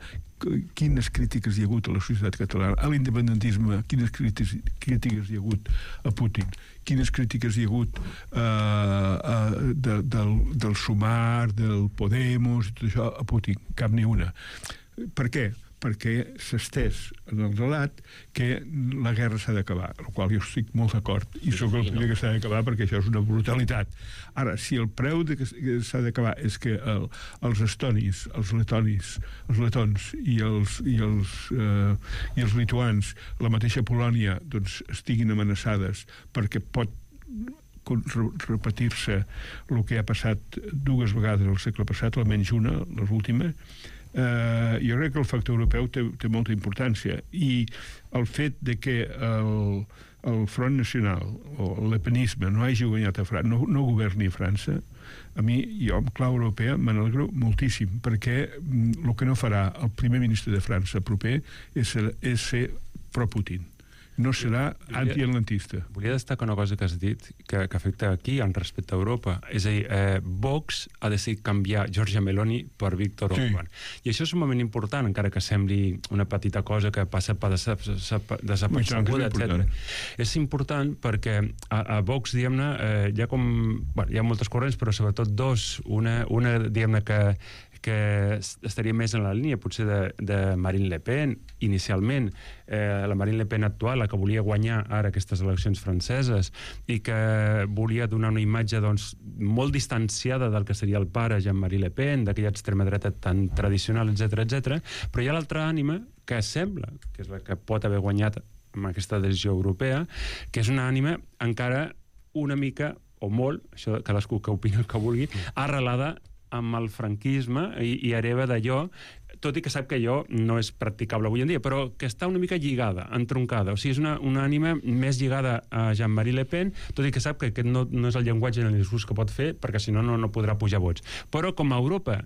Quines crítiques hi ha hagut a la societat catalana, a l'independentisme, quines crítiques, crítiques hi ha hagut a Putin, quines crítiques hi ha hagut uh, uh, de, del, del Sumar, del Podemos, i tot això a Putin, cap ni una. Per què? Perquè s'estès en el relat que la guerra s'ha d'acabar, el qual jo estic molt d'acord, i sóc el primer que s'ha d'acabar perquè això és una brutalitat. Ara, si el preu de que s'ha d'acabar és que el, els estonis, els letonis, els letons i els, i els, eh, i els lituans, la mateixa Polònia, doncs, estiguin amenaçades perquè pot repetir-se el que ha passat dues vegades al segle passat, almenys una, l'última. Uh, jo crec que el factor europeu té, té molta importància, i el fet de que el, el Front Nacional o l'epenisme no hagi guanyat a França, no, no governi a França, a mi, jo amb clau europea me n'alegro moltíssim, perquè el que no farà el primer ministre de França proper és ser, és ser pro-Putin. No serà antiatlantista. Volia destacar una cosa que has dit que, que afecta aquí en respecte a Europa. És a dir, eh, Vox ha decidit canviar Giorgia Meloni per Viktor Orbán. Sí. I això és un moment important, encara que sembli una petita cosa que passa per desapercebuda, etcètera. És important perquè a, a Vox, diguem-ne, eh, hi ha com... Bueno, hi ha moltes corrents, però sobretot dos. Una, una diguem-ne, que que estaria més en la línia potser de, de Marine Le Pen inicialment, eh, la Marine Le Pen actual, la que volia guanyar ara aquestes eleccions franceses i que volia donar una imatge doncs, molt distanciada del que seria el pare Jean-Marie Le Pen, d'aquella extrema dreta tan tradicional, etcètera, etcètera. Però hi ha l'altra ànima que sembla que és la que pot haver guanyat amb aquesta decisió europea, que és una ànima encara una mica o molt, això cadascú que opina el que vulgui, arrelada amb el franquisme i, i hereva d'allò, tot i que sap que allò no és practicable avui en dia, però que està una mica lligada, entroncada. O sigui, és una, una ànima més lligada a Jean-Marie Le Pen, tot i que sap que aquest no, no és el llenguatge en el discurs que pot fer, perquè si no, no, no podrà pujar vots. Però com a Europa,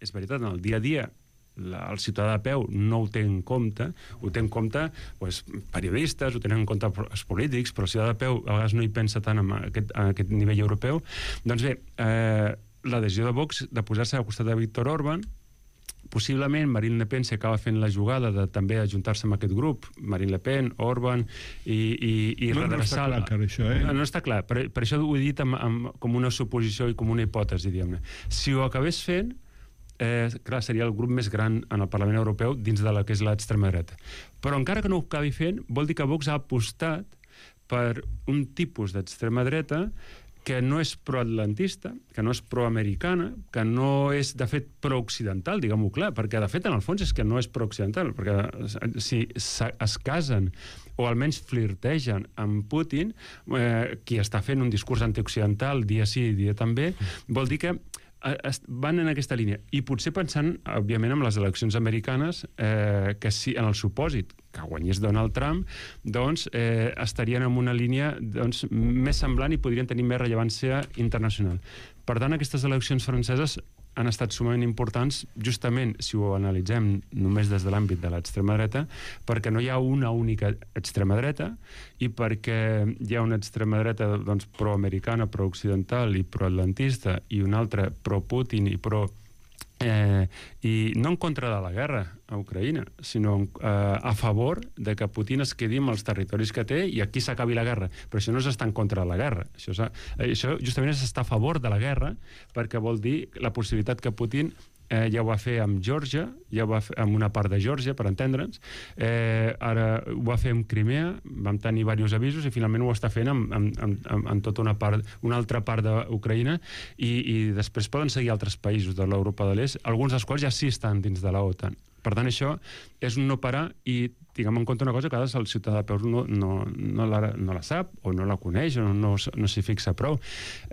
és veritat, en el dia a dia, la, el ciutadà de peu no ho té en compte, ho té en compte pues, periodistes, ho tenen en compte els polítics, però el ciutadà de peu a vegades no hi pensa tant en aquest, en aquest nivell europeu. Doncs bé, eh, la decisió de Vox de posar-se al costat de Víctor Orbán, possiblement Marine Le Pen s'acaba fent la jugada de també ajuntar-se amb aquest grup, Marine Le Pen, Orbán i, i, i no, redreçar... No està clar, encara, això, eh? No, no està clar, per, per això ho he dit amb, amb, com una suposició i com una hipòtesi, diguem-ne. Si ho acabés fent, eh, clar, seria el grup més gran en el Parlament Europeu dins de la que és l'extrema dreta. Però encara que no ho acabi fent, vol dir que Vox ha apostat per un tipus d'extrema dreta que no és proatlantista, que no és proamericana, que no és, de fet, prooccidental, diguem-ho clar, perquè, de fet, en el fons és que no és prooccidental, perquè si es casen o almenys flirtegen amb Putin, eh, qui està fent un discurs antioccidental dia sí, dia també, vol dir que van en aquesta línia. I potser pensant, òbviament, en les eleccions americanes, eh, que si en el supòsit que guanyés Donald Trump, doncs eh, estarien en una línia doncs, més semblant i podrien tenir més rellevància internacional. Per tant, aquestes eleccions franceses han estat sumament importants, justament, si ho analitzem només des de l'àmbit de l'extrema dreta, perquè no hi ha una única extrema dreta i perquè hi ha una extrema dreta doncs, proamericana, prooccidental i proatlantista i una altra pro-Putin i pro... Eh, i no en contra de la guerra a Ucraïna, sinó eh, a favor de que Putin es quedi amb els territoris que té i aquí s'acabi la guerra. Però això no és estar en contra de la guerra. Això, és, això justament és estar a favor de la guerra, perquè vol dir la possibilitat que Putin eh, ja ho va fer amb Geòrgia, ja ho va fer amb una part de Geòrgia, per entendre'ns, eh, ara ho va fer amb Crimea, vam tenir diversos avisos i finalment ho està fent amb, amb, amb, amb tota una, part, una altra part d'Ucraïna i, i després poden seguir altres països de l'Europa de l'Est, alguns dels quals ja sí estan dins de la OTAN. Per tant, això és un no parar i tinguem en compte una cosa que a vegades el ciutadà de peu no, no, no, la, no la sap o no la coneix o no, no, no s'hi fixa prou.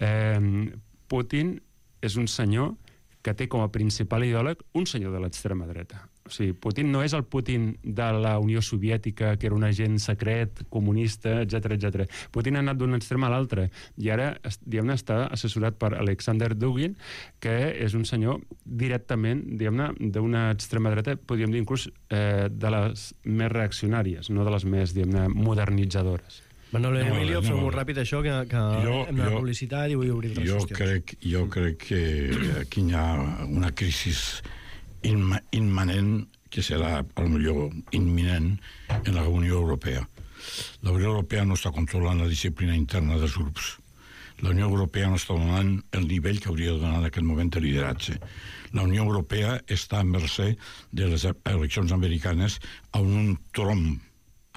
Eh, Putin és un senyor que té com a principal ideòleg un senyor de l'extrema dreta. O sigui, Putin no és el Putin de la Unió Soviètica, que era un agent secret, comunista, etcètera, etcètera. Putin ha anat d'un extrem a l'altre i ara, diguem-ne, està assessorat per Alexander Dugin, que és un senyor directament, diguem-ne, d'una extrema dreta, podríem dir inclús eh, de les més reaccionàries, no de les més, diguem-ne, modernitzadores. Manolo, no, Emilio, no, fem molt ràpid això, que, que jo, hem de publicitat i vull obrir les jo qüestions. Crec, jo crec que aquí hi ha una crisi imma, immanent, que serà, potser imminent, en la Unió Europea. La Unió Europea no està controlant la disciplina interna dels grups. La Unió Europea no està donant el nivell que hauria de donar en aquest moment de lideratge. La Unió Europea està a mercè de les eleccions americanes a un tronc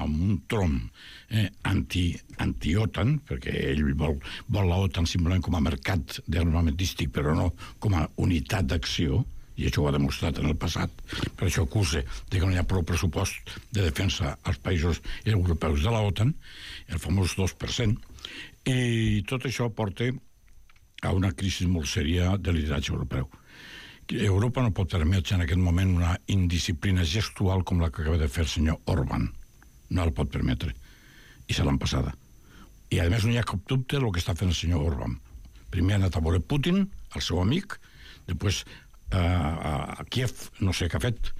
amb un tronc eh, anti, anti-OTAN, perquè ell vol, vol la OTAN simplement com a mercat d'armamentístic, però no com a unitat d'acció, i això ho ha demostrat en el passat. Per això acusa de que no hi ha prou pressupost de defensa als països europeus de la OTAN, el famós dos per cent, i tot això porta a una crisi molt sèria de lideratge europeu. Europa no pot permetre en aquest moment una indisciplina gestual com la que acaba de fer el senyor Orbán. No el pot permetre. I se l'han passada. I a més no hi ha cap dubte del que està fent el senyor Orbán. Primer ha anat a veure Putin, el seu amic, després eh, a Kiev, no sé què ha fet,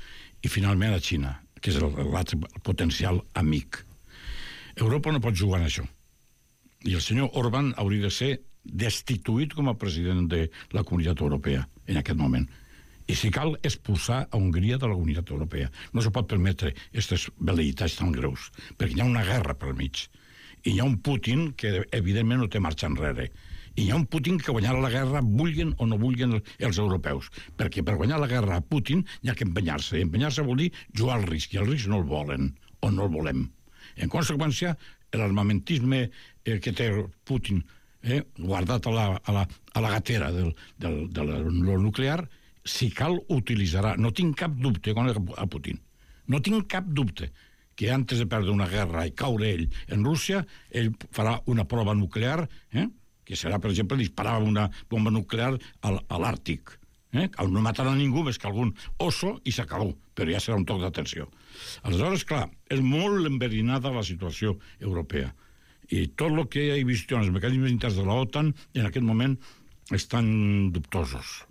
i finalment a Xina, que és l'altre potencial amic. Europa no pot jugar en això. I el senyor Orbán hauria de ser destituït com a president de la Comunitat Europea en aquest moment. I si cal expulsar a Hongria de la Unitat Europea. No se pot permetre aquestes velleitats tan greus, perquè hi ha una guerra pel mig. I hi ha un Putin que, evidentment, no té marxa enrere. I hi ha un Putin que guanyarà la guerra, vulguin o no vulguin els europeus. Perquè per guanyar la guerra a Putin hi ha que empenyar-se. I empenyar-se vol dir jugar al risc, i el risc no el volen, o no el volem. En conseqüència, l'armamentisme eh, que té Putin eh, guardat a la, a la, a la gatera del, del, del, del nuclear, si cal, utilitzarà. No tinc cap dubte con a Putin. No tinc cap dubte que antes de perdre una guerra i caure ell en Rússia, ell farà una prova nuclear, eh? que serà, per exemple, disparar una bomba nuclear a, a l'Àrtic. Eh? No matarà ningú més que algun oso i s'acabó, però ja serà un toc d'atenció. Aleshores, clar, és molt enverinada la situació europea. I tot el que he vist en els mecanismes interns de l'OTAN en aquest moment estan dubtosos.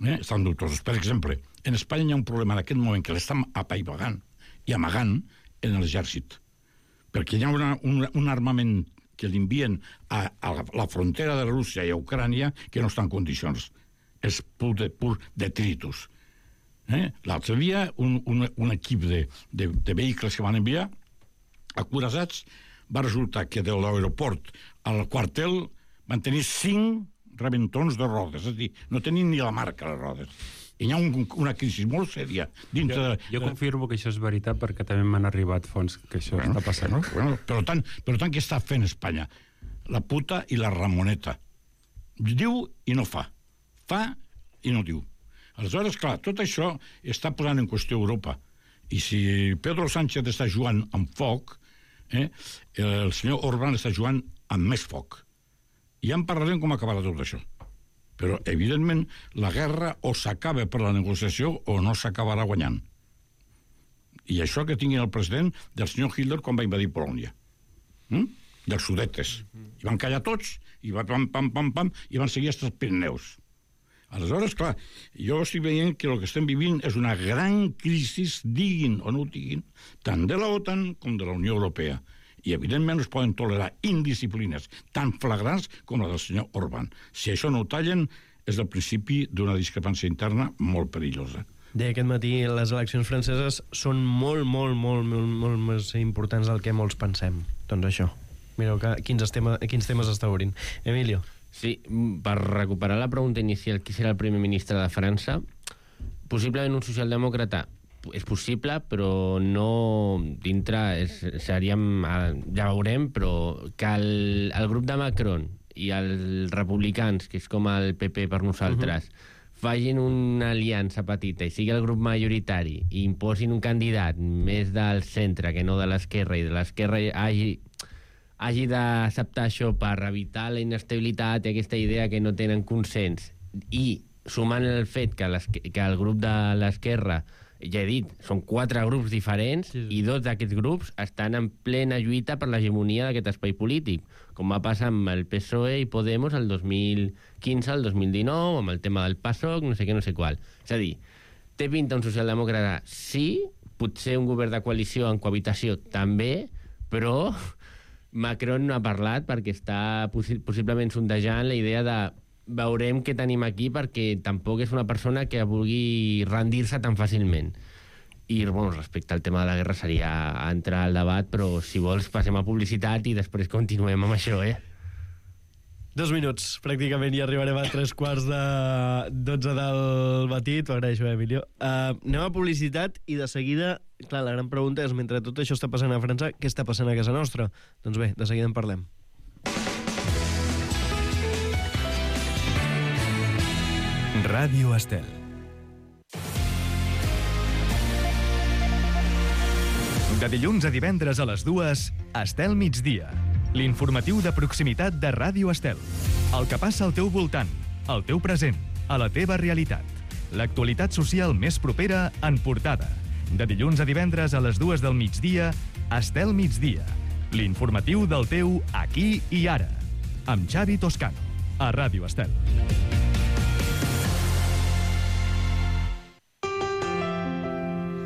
Eh? Estan dubtosos. Per exemple, en Espanya hi ha un problema en aquest moment que l'estan apaivagant i amagant en l'exèrcit. Perquè hi ha una, un, un armament que l'envien a, a la frontera de Rússia i a Ucrània que no està en condicions. És pur, de, pur detritus. Eh? L'altre dia, un, un, un equip de, de, de vehicles que van enviar acorassats, va resultar que de l'aeroport al quartel van tenir cinc rebentons de rodes, és a dir, no tenien ni la marca les rodes. I hi ha un, una crisi molt sèria dintre jo, de... Jo confirmo que això és veritat perquè també m'han arribat fons que això bueno, està passant. Bueno, bueno, per tant, per tant, què està fent Espanya? La puta i la ramoneta. Diu i no fa. Fa i no diu. Aleshores, clar, tot això està posant en qüestió Europa. I si Pedro Sánchez està jugant amb foc, eh, el senyor Orbán està jugant amb més foc. I ja en parlarem com acabarà tot això. Però, evidentment, la guerra o s'acaba per la negociació o no s'acabarà guanyant. I això que tinguin el president del senyor Hitler quan va invadir Polònia. Mm? Dels sudetes. I van callar tots, i va pam, pam, pam, pam, i van seguir fins als Pirineus. Aleshores, clar, jo estic veient que el que estem vivint és una gran crisi, diguin o no ho diguin, tant de la OTAN com de la Unió Europea. I, evidentment, no es poden tolerar indisciplines tan flagrants com la del senyor Orbán. Si això no ho tallen, és el principi d'una discrepància interna molt perillosa. Deia aquest matí, les eleccions franceses són molt, molt, molt, molt, molt més importants del que molts pensem. Doncs això. Mireu que, quins, tema, quins temes està obrint. Emilio. Sí, per recuperar la pregunta inicial, qui serà el primer ministre de França? Possiblement un socialdemòcrata. És possible, però no dintre, és, seríem, ja veurem, però que el, el grup de Macron i els republicans, que és com el P P per nosaltres, uh-huh. facin una aliança petita i sigui el grup majoritari i imposin un candidat més del centre que no de l'esquerra i de l'esquerra hagi, hagi d'acceptar això per evitar la inestabilitat i aquesta idea que no tenen consens i sumant el fet que, que el grup de l'esquerra, ja he dit, són quatre grups diferents sí, sí. i dos d'aquests grups estan en plena lluita per l'hegemonia d'aquest espai polític, com va passar amb el P S O E i Podemos el dos mil quinze al dos mil dinou, amb el tema del PASOK, no sé què, no sé qual. És a dir, té pinta un socialdemòcrata? Sí, potser un govern de coalició en cohabitació també, però Macron no ha parlat perquè està possi- possiblement sondejant la idea de veurem què tenim aquí perquè tampoc és una persona que vulgui rendir-se tan fàcilment. I, bueno, respecte al tema de la guerra seria entrar al debat, però si vols passem a publicitat i després continuem amb això, eh? Dos minuts, pràcticament, i arribarem a tres quarts de dotze del matí. T'ho agraeixo, eh, Emilio. Uh, anem a publicitat i de seguida, clar, la gran pregunta és, mentre tot això està passant a França, què està passant a casa nostra? Doncs bé, de seguida en parlem. Ràdio Estel. De dilluns a divendres a les dues, Estel migdia. L'informatiu de proximitat de Ràdio Estel. El que passa al teu voltant, al teu present, a la teva realitat. L'actualitat social més propera en portada. De dilluns a divendres a les dues del migdia, Estel migdia. L'informatiu del teu aquí i ara. Amb Xavi Toscano, a Ràdio Estel.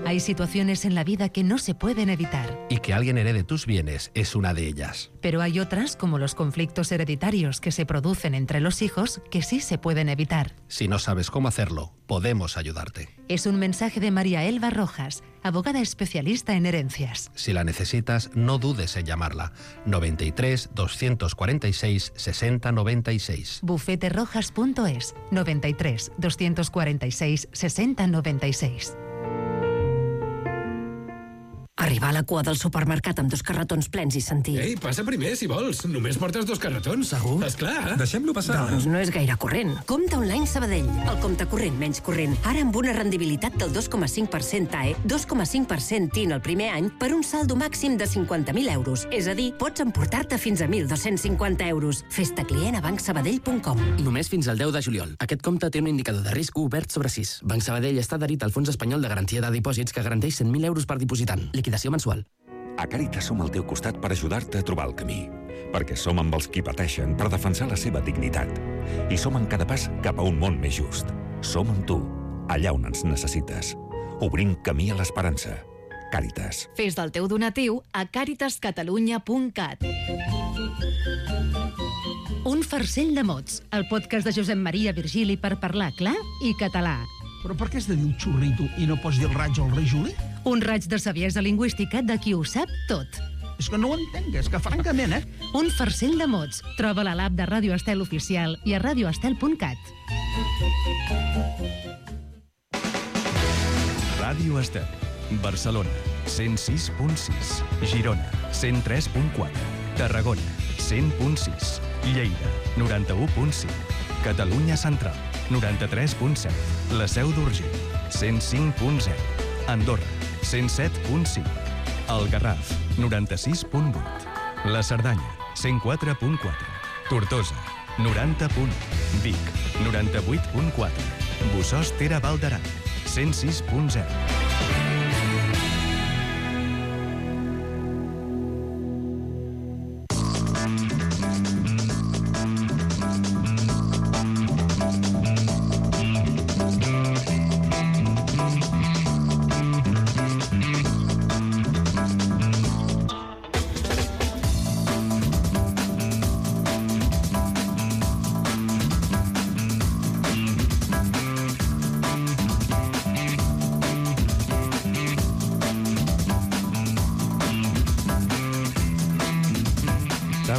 Hay situaciones en la vida que no se pueden evitar. Y que alguien herede tus bienes es una de ellas. Pero hay otras, como los conflictos hereditarios que se producen entre los hijos, que sí se pueden evitar. Si no sabes cómo hacerlo, podemos ayudarte. Es un mensaje de María Elba Rojas, abogada especialista en herencias. Si la necesitas, no dudes en llamarla. noventa y tres, doscientos cuarenta y seis, sesenta noventa y seis. bufete rojas punto es, noventa y tres, doscientos cuarenta y seis, sesenta noventa y seis. Arribar a la cua del supermercat amb dos carretons plens i sentir... Ei, passa primer, si vols. Només portes dos carretons. Segur? Esclar. Deixem-lo passar. Doncs no és gaire corrent. Compte online Sabadell. El compte corrent menys corrent. Ara amb una rendibilitat del dos coma cinc per cent A E, dos coma cinc per cent T I N el primer any per un saldo màxim de cinquanta mil euros. És a dir, pots emportar-te fins a mil dos-cents cinquanta euros. Fes-te client a banc sabadell punt com. Només fins al deu de juliol. Aquest compte té un indicador de risc obert sobre sis. Banc Sabadell està adherit al Fons Espanyol de Garantia de Dipòsits que garanteix cent mil euros per dipositant. Liquidació mensual. A Càritas som al teu costat per ajudar-te a trobar el camí. Perquè som amb els qui pateixen per defensar la seva dignitat. I som en cada pas cap a un món més just. Som amb tu, allà on ens necessites. Obrim camí a l'esperança. Càritas. Fes del teu donatiu a càritas catalunya punt cat. Un farcell de mots, el podcast de Josep Maria Virgili per parlar clar i català. Però per què has de dir un xurrito i no pots dir el raig o el rei Juli? Un raig de saviesa lingüística de qui ho sap tot. És que no ho entenc, és que francament, eh? Un farcell de mots. Troba-la a l'app de Ràdio Estel Oficial i a radioestel punt cat. Ràdio Estel. Barcelona, cent sis punt sis. Girona, cent tres punt quatre. Tarragona, cent punt sis. Lleida, noranta-u punt cinc. Catalunya Central, noranta-tres punt set. La Seu d'Urgell, cent cinc punt zero. Andorra, cent set punt cinc. El Garraf, noranta-sis punt vuit. La Cerdanya, cent quatre punt quatre. Tortosa, noranta punt u. Vic, noranta-vuit punt quatre. Bossòst Ter Val d'Aran, cent sis punt zero.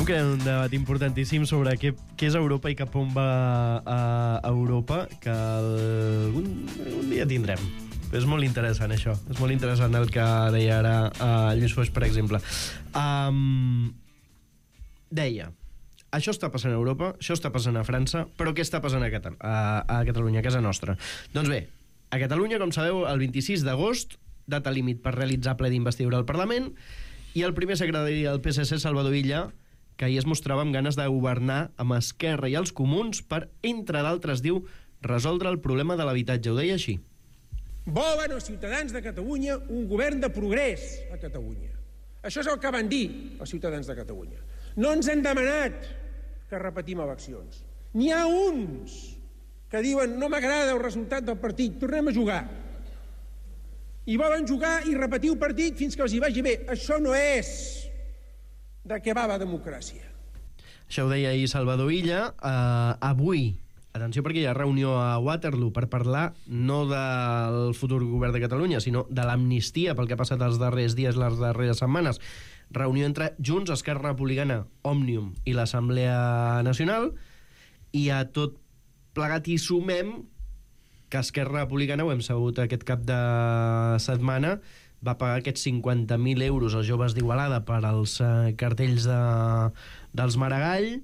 que hi ha un debat importantíssim sobre què, què és Europa i cap on va a Europa, que algun, algun dia tindrem. És molt interessant, això. És molt interessant el que deia ara uh, Lluís Foix, per exemple. Um, deia, això està passant a Europa, això està passant a França, però què està passant a, Catal a, a Catalunya, a casa nostra? Doncs bé, a Catalunya, com sabeu, el vint-i-sis d'agost, data límit per realitzar ple d'investidura al Parlament, i el primer secretari del P S C, Salvador Illa, que ahir es mostrava amb ganes de governar amb Esquerra i els comuns per, entre d'altres, diu, resoldre el problema de l'habitatge. Ho deia així. Volen els ciutadans de Catalunya un govern de progrés a Catalunya. Això és el que van dir els ciutadans de Catalunya. No ens han demanat que repetim eleccions. N'hi ha uns que diuen no m'agrada el resultat del partit, tornem a jugar. I volen jugar i repetir el partit fins que els hi vagi bé. Això no és de què va la democràcia. Això ho deia ahir Salvador Illa. Uh, avui, atenció perquè hi ha reunió a Waterloo per parlar no del futur govern de Catalunya, sinó de l'amnistia pel que ha passat els darrers dies, les darreres setmanes. Reunió entre Junts, Esquerra Republicana, Òmnium i l'Assemblea Nacional, i a tot plegat hi sumem que Esquerra Republicana, ho hem sabut aquest cap de setmana, va pagar aquests cinquanta mil euros als joves d'Igualada per als eh, cartells de, dels Maragall.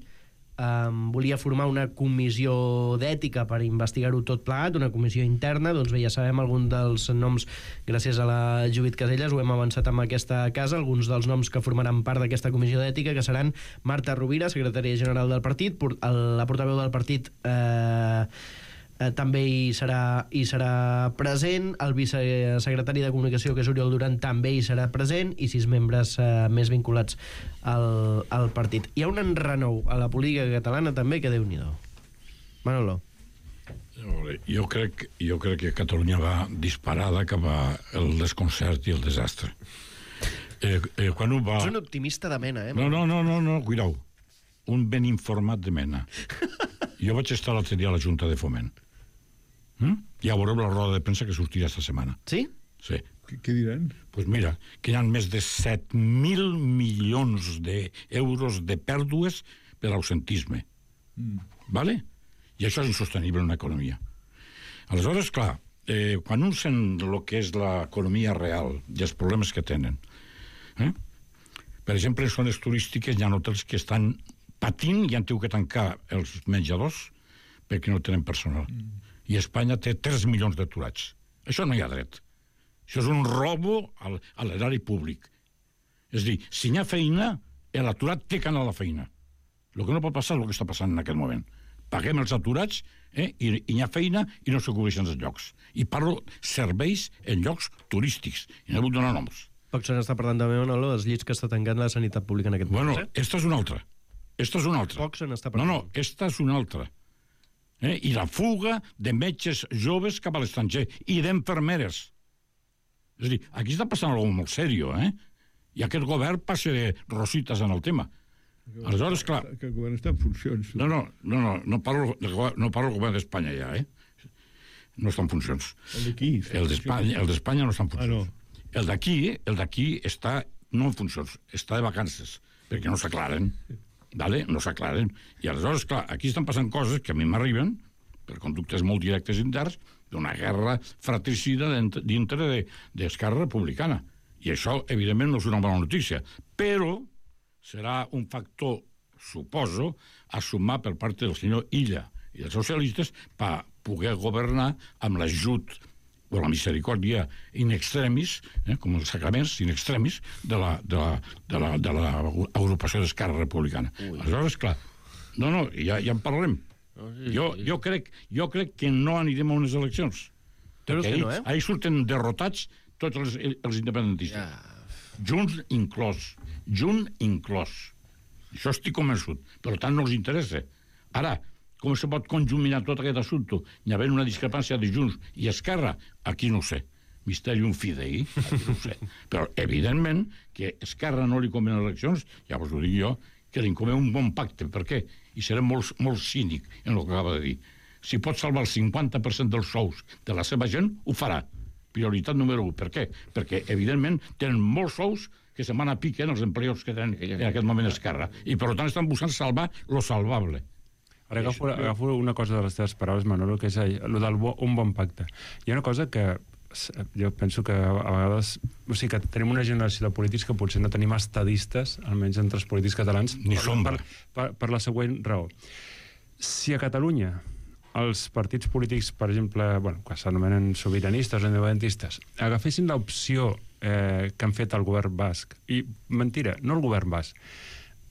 Um, volia formar una comissió d'ètica per investigar-ho tot plegat, una comissió interna. Doncs bé, ja sabem alguns dels noms, gràcies a la Judit Caselles, ho hem avançat amb aquesta casa, alguns dels noms que formaran part d'aquesta comissió d'ètica, que seran Marta Rovira, secretària general del partit, la portaveu del partit eh, Eh, també hi serà, hi serà present, el vicesecretari de Comunicació, que és Oriol Duran, també hi serà present, i sis membres eh, més vinculats al, al partit. Hi ha un enrenou a la política catalana també que Déu-n'hi-do. Manolo. Jo crec, jo crec que Catalunya va disparada cap al desconcert i el desastre. Eh, eh, quan ho va... És un optimista de mena, eh? No, no, no, no, no, cuidao. Un ben informat de mena. Jo vaig estar l'altre dia a la Junta de Foment. Mm? Ja veureu la roda de premsa que sortirà esta setmana. Sí? Sí. Què, què diran? Doncs pues mira, que hi ha més de set mil milions d'euros de pèrdues per ausentisme. Mm. Vale? I això és insostenible en una economia. Aleshores, clar, eh, quan un sent el que és l'economia real i els problemes que tenen, eh? per exemple, en zones turístiques hi ha hotels que estan patint i han tingut que tancar els menjadors perquè no tenen personal. Mm. I Espanya té tres milions d'aturats. Això no hi ha dret. Això és un robo al, a l'erari públic. És a dir, si hi ha feina, l'aturat té que anar a la feina. El que no pot passar és el que està passant en aquest moment. Paguem els aturats eh, i, i hi ha feina i no se cobreixen els llocs. I parlo serveis en llocs turístics. I no vull donar noms. Poc se n'està parlant també, Manolo, dels llits que està tancant la sanitat pública en aquest bueno, moment. Bueno, esta és una altra. Esta és una altra. Poc se n'està parlant. No, no, esta és una altra. Eh? I la fuga de metges joves cap a l'estranger i d'infermeres. És a dir, aquí està passant alguna cosa molt sèrio, eh? I aquest govern passa de rosites en el tema. Aleshores, clar... Que el govern està en funcions. No, no, no, no, no parlo, no parlo del govern d'Espanya ja, eh? No està en funcions. El d'aquí? El d'Espanya el d'Espanya no està en funcions. Ah, no. El d'aquí, el d'aquí està no en funcions, està de vacances, perquè no s'aclaren. Vale? No s'aclaren. I aleshores, clar, aquí estan passant coses que a mi m'arriben, per conductes molt directes interns, d'una guerra fratricida dintre d'Esquerra Republicana. I això, evidentment, no és una bona notícia. Però serà un factor, suposo, a sumar per part del senyor Illa i dels socialistes per poder governar amb l'ajut o la misericòrdia in extremis, eh, com els sacraments in extremis, de la, de la, de la, de la agrupació d'Esquerra Republicana. Ui. Aleshores, clar, no, no, ja, ja en parlarem. No, sí, jo, sí. Jo, crec, jo crec que no anirem a unes eleccions. Creus que ahí, no, eh? Ahí surten derrotats tots els, els independentistes. Ja. Junts inclòs. Junt inclòs. Això estic convençut. Per tant, no els interessa. Ara, com se pot conjuminar tot aquest assumpte? Hi ha una discrepància de Junts i Esquerra? Aquí no ho sé. Mysterium fidei, aquí no ho sé. Però, evidentment, que Esquerra no li convé eleccions, ja us ho dic jo, que li convé un bon pacte. Per què? I seré molt, molt cínic en el que acaba de dir. Si pot salvar el cinquanta per cent dels sous de la seva gent, ho farà. Prioritat número un. Per què? Perquè, evidentment, tenen molts sous que se'n van a pique en els empleats que tenen en aquest moment Esquerra. I, per tant, estan buscant salvar lo salvable. Ara agafo, agafo una cosa de les teves paraules, Manolo, que és el del bo, un bon pacte. Hi ha una cosa que jo penso que a vegades... O sigui, que tenim una generació de polítics que potser no tenim estadistes, almenys entre els polítics catalans, ni per, sombra. Per, per, per la següent raó. Si a Catalunya els partits polítics, per exemple, bueno, que s'anomenen sobiranistes o independentistes, agafessin l'opció eh, que han fet el govern basc, i mentira, no el govern basc,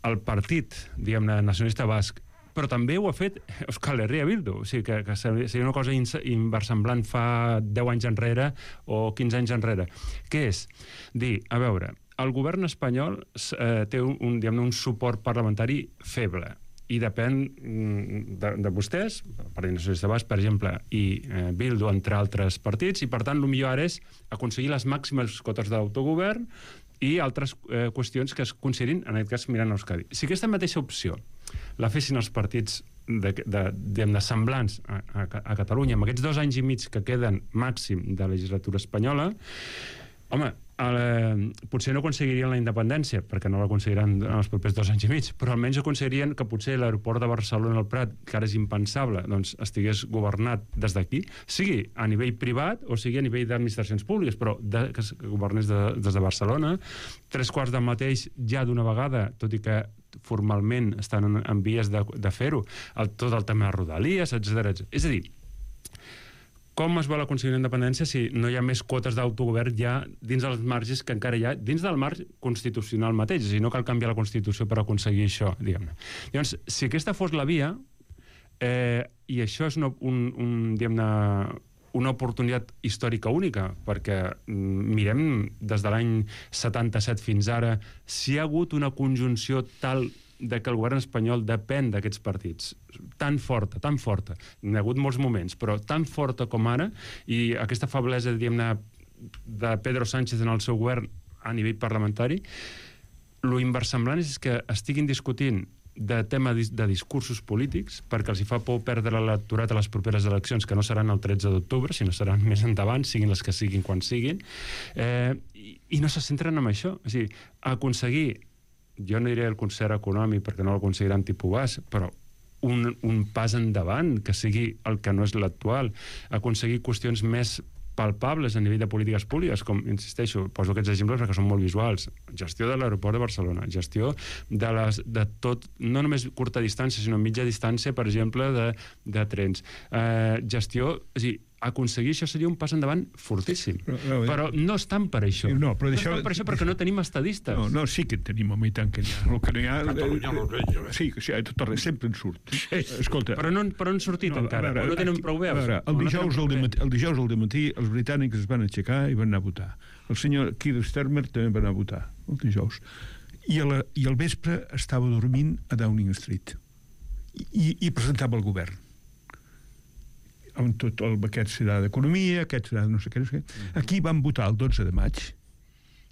el partit, diguem-ne, nacionalista basc, però també ho ha fet Euskal Herria Bildu, o sigui que, que seria una cosa inversemblant fa deu anys enrere o quinze anys enrere. Què és? Dir, a veure, el govern espanyol eh, té un, un, diguem-ne, un suport parlamentari feble i depèn de, de vostès, el Partit Nacionalista Basc, per exemple, i eh, Bildu, entre altres partits, i per tant el millor ara és aconseguir les màximes cotes d'autogovern i altres eh, qüestions que es considerin, en aquest cas, mirant a Euskadi. Si aquesta mateixa opció la fessin els partits de, de, de, de semblants a, a, a Catalunya, amb aquests dos anys i mig que queden màxim de legislatura espanyola, home, el, potser no aconseguirien la independència, perquè no l'aconseguiran en els propers dos anys i mig, però almenys aconseguirien que potser l'aeroport de Barcelona al Prat, que ara és impensable, doncs estigués governat des d'aquí, sigui a nivell privat o sigui a nivell d'administracions públiques, però de, que es governés de, des de Barcelona. Tres quarts del mateix ja d'una vegada, tot i que formalment estan en, en vies de, de fer-ho, el, tot el tema de Rodalies, etcètera. És a dir, com es vol aconseguir la independència si no hi ha més quotes d'autogovern ja dins dels marges que encara hi ha, dins del marge constitucional mateix, és a dir, no cal canviar la Constitució per aconseguir això, diguem-ne. Llavors, si aquesta fos la via, eh, i això és una, un, un, diguem-ne, una oportunitat històrica única, perquè mirem des de l'any setanta-set fins ara si hi ha hagut una conjunció tal de que el govern espanyol depèn d'aquests partits. Tan forta, tan forta. N'hi ha hagut molts moments, però tan forta com ara, i aquesta feblesa, diguem-ne, de Pedro Sánchez en el seu govern a nivell parlamentari, lo inversemblant és que estiguin discutint de tema de discursos polítics, perquè els hi fa por perdre l'electorat a les properes eleccions, que no seran el tretze d'octubre, sinó seran més endavant, siguin les que siguin quan siguin, eh, i, i no se centren en això. O sigui, aconseguir, jo no diré el concert econòmic, perquè no l'aconseguiran tipus bas, però un, un pas endavant, que sigui el que no és l'actual, aconseguir qüestions més palpables a nivell de polítiques públiques, com, insisteixo, poso aquests exemples perquè són molt visuals. Gestió de l'aeroport de Barcelona, gestió de, les, de tot, no només curta distància, sinó mitja distància, per exemple, de, de trens. Eh, gestió, és a dir, aconseguir això seria un pas endavant fortíssim. Però, no, però no estan per això. No, però no deixeu... estan per això perquè no tenim estadistes. No, no, sí que tenim, home, i tant que n'hi ha. El que no hi ha... Catalunya no veig. Sí, sí, a tot arreu, sempre en surt. Escolta... Però no, però han sortit no, encara, veure, o no tenen prou veus. Veure, el, dijous no al dematí, el dijous al dematí els britànics es van aixecar i van anar a votar. El senyor Keir Starmer també va anar a votar, el dijous. I, a la, i al vespre estava dormint a Downing Street. I, i presentava el govern. Amb tot el, aquest serà d'economia, aquest serà de no sé què, no sé què. Aquí vam votar el dotze de maig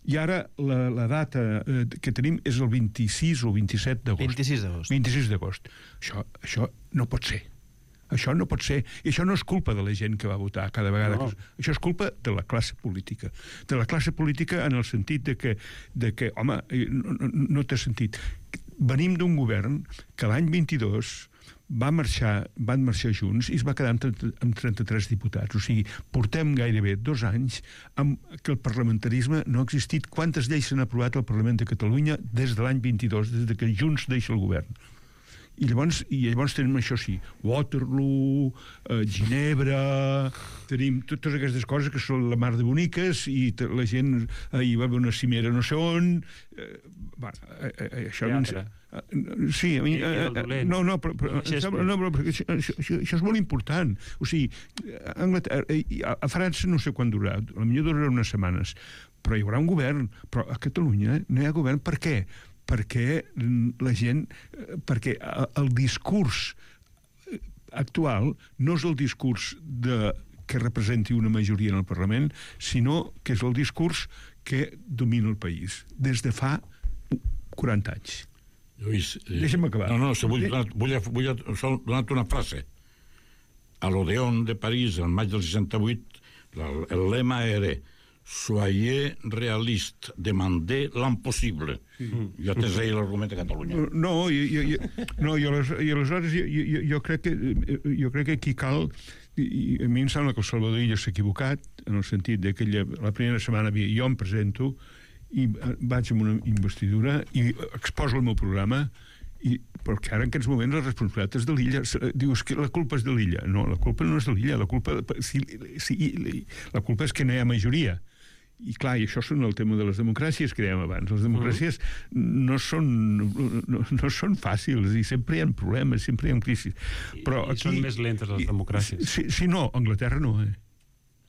i ara la, la data eh, que tenim és el vint-i-sis o vint-i-set d'agost. vint-i-sis d'agost. vint-i-sis d'agost. Això, això no pot ser. Això no pot ser. I això no és culpa de la gent que va votar cada vegada. No. Que... Això és culpa de la classe política. De la classe política en el sentit de que, de que home, no, no, no té sentit. Venim d'un govern que l'any vint-i-dos va marxar, van marxar junts i es va quedar amb, amb trenta-tres diputats. O sigui, portem gairebé dos anys amb que el parlamentarisme no ha existit. Quantes lleis s'han aprovat al Parlament de Catalunya des de l'any vint-i-dos, des de que Junts deixa el govern? I llavors, i llavors tenim això sí, Waterloo, eh, Ginebra, tenim totes aquestes coses que són la mar de boniques i la gent, eh, hi va haver una cimera no sé on, eh, va, eh, eh, això... Teatre. Eh, sí, a mi... Eh, eh, no, no, però, però, no, però això, això, això és molt important. O sigui, a, a, a França no sé quan durarà, potser durarà unes setmanes, però hi haurà un govern, però a Catalunya no hi ha govern. Per què? Perquè la gent, perquè el discurs actual no és el discurs de, que representi una majoria en el Parlament, sinó que és el discurs que domina el país des de fa quaranta anys. Lluís, eh, deixa'm acabar. No, no, se vull, donar, vull, vull donar una frase. A l'Odeon de París, el maig del seixanta-vuit, el lema era soyez realiste, demandez l'impossible. Sí. Jo t'he dit l'argument de Catalunya. No, i, i, i, no, i, aleshores, i aleshores jo, jo, jo, crec que, jo crec que aquí cal, i a mi em sembla que el Salvador Illa s'ha equivocat, en el sentit de que ella, la primera setmana jo em presento i vaig amb una investidura i exposo el meu programa, i, perquè ara en aquests moments la responsabilitat és de l'Illa. Dius que la culpa és de l'Illa. No, la culpa no és de l'Illa, la culpa, si, si, la culpa és que no hi ha majoria. I clar, i això són el tema de les democràcies que dèiem abans. Les democràcies no són, no, no són fàcils i sempre hi ha problemes, sempre hi ha crisis. Però I, i aquí, són més lentes les democràcies. Si, si no, Anglaterra no, eh?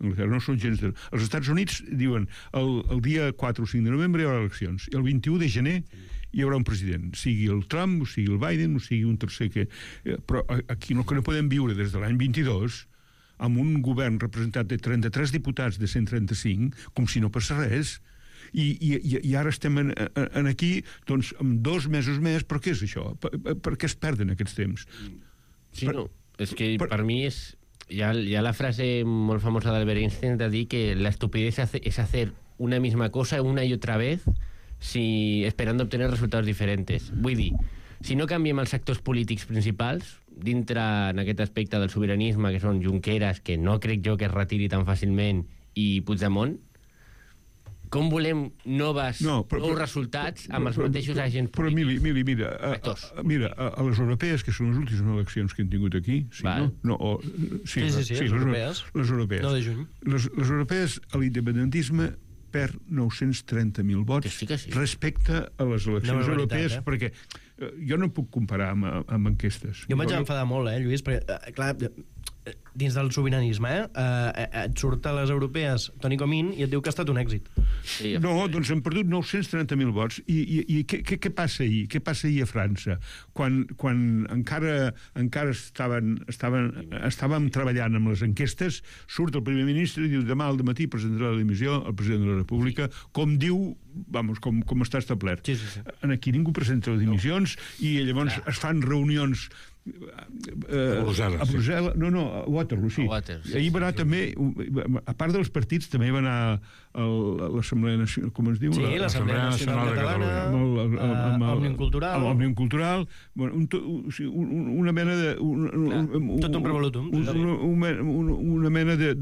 Anglaterra no són gens de... Els Estats Units diuen el, el dia quatre o cinc de novembre hi haurà eleccions i el vint-i-u de gener hi haurà un president, sigui el Trump, o sigui el Biden, o sigui un tercer que... Però aquí no, que no podem viure des de l'any vint-i-dos amb un govern representat de trenta-tres diputats de cent trenta-cinc, com si no passés res. I, i, i ara estem en, en aquí, doncs, amb dos mesos més, però què és això? Per, per què es perden aquests temps? Sí, per, no, és que per, per mi és... Hi ha, hi ha la frase molt famosa d'Albert Einstein de dir que la estupidez es hacer una misma cosa una y otra vez si, esperando obtener resultados diferentes. Vull dir, si no canviem els actors polítics principals, dintre en aquest aspecte del sobiranisme, que són Junqueras, que no crec jo que es retiri tan fàcilment, i Puigdemont, com volem noves, no, però, nous resultats amb els però, mateixos però, agents polítics? Però, Mili, Mili mira, a, a, mira a, a les europees, que són les últimes eleccions que hem tingut aquí, sí, no? no o, sí, sí, sí, sí, sí, les europees. Les europees. No de juny. Les, les europees, a l'independentisme, perd nou-cents trenta mil vots sí sí. respecte a les eleccions europees, eh? Perquè jo no puc comparar amb, amb enquestes. Jo em vaig no... enfadar molt, eh, Lluís, perquè, eh, clar, dins del sobiranisme, eh, eh, et surt a les europees Toni Comín i et diu que ha estat un èxit. Sí, no, doncs han perdut nou-cents trenta mil vots. I, i, i què, què, què passa ahir? Què passa ahir a França? Quan, quan encara, encara estaven, estaven, estàvem treballant amb les enquestes, surt el primer ministre i diu demà al matí presentarà la dimissió al president de la República, com diu, vamos, com, com està establert. Sí, sí, sí. Aquí ningú presenta les dimissions i llavors es fan reunions a Brussel·les. A Brussel·les, no, no, a Waterloo, sí. A Waterloo, sí, Ahir va anar sí, també, a part dels partits, també va anar a l'Assemblea Nacional, com es diu? Sí, l'Assemblea Nacional Catalana, Òmnium Cultural. Òmnium Cultural, una mena de... Tot un revolutum. Una mena de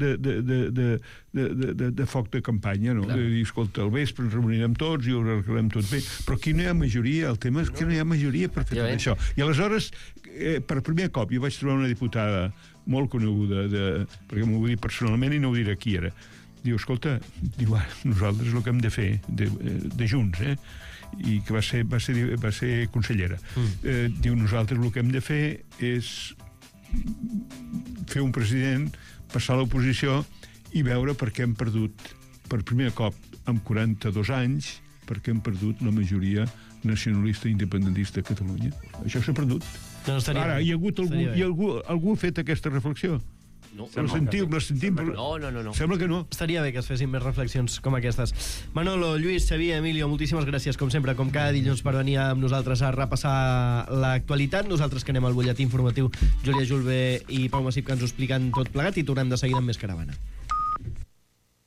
de foc de campanya, no? De dir, escolta, al vespre ens reunirem tots i ho arreglarem tot bé. Però aquí no hi ha majoria, el tema és que no hi ha majoria per fer tot això. I aleshores, per primer cop, jo vaig trobar una diputada molt coneguda, de, perquè m'ho va dir personalment i no ho diré qui era. Diu, escolta, diu, ah, nosaltres el que hem de fer, de, de Junts, eh? I que va ser, va ser, va ser consellera. Mm. Eh, diu, nosaltres el que hem de fer és fer un president, passar a l'oposició i veure per què hem perdut, per primer cop, amb quaranta-dos anys, per què hem perdut la majoria nacionalista i independentista a Catalunya. Això s'ha perdut. No, Ara, hi ha hagut algú, hi ha algú, algú ha fet aquesta reflexió? No, la sentiu, la sentim? No, no, no, no. Sembla que no. Estaria bé que es fessin més reflexions com aquestes. Manolo, Lluís, Xavier, Emilio, moltíssimes gràcies, com sempre, com cada dilluns, per venir amb nosaltres a repassar l'actualitat. Nosaltres que anem al butlletí informatiu, Júlia Julve i Pau Massip, que ens ho expliquen tot plegat, i tornem de seguida amb més Caravana.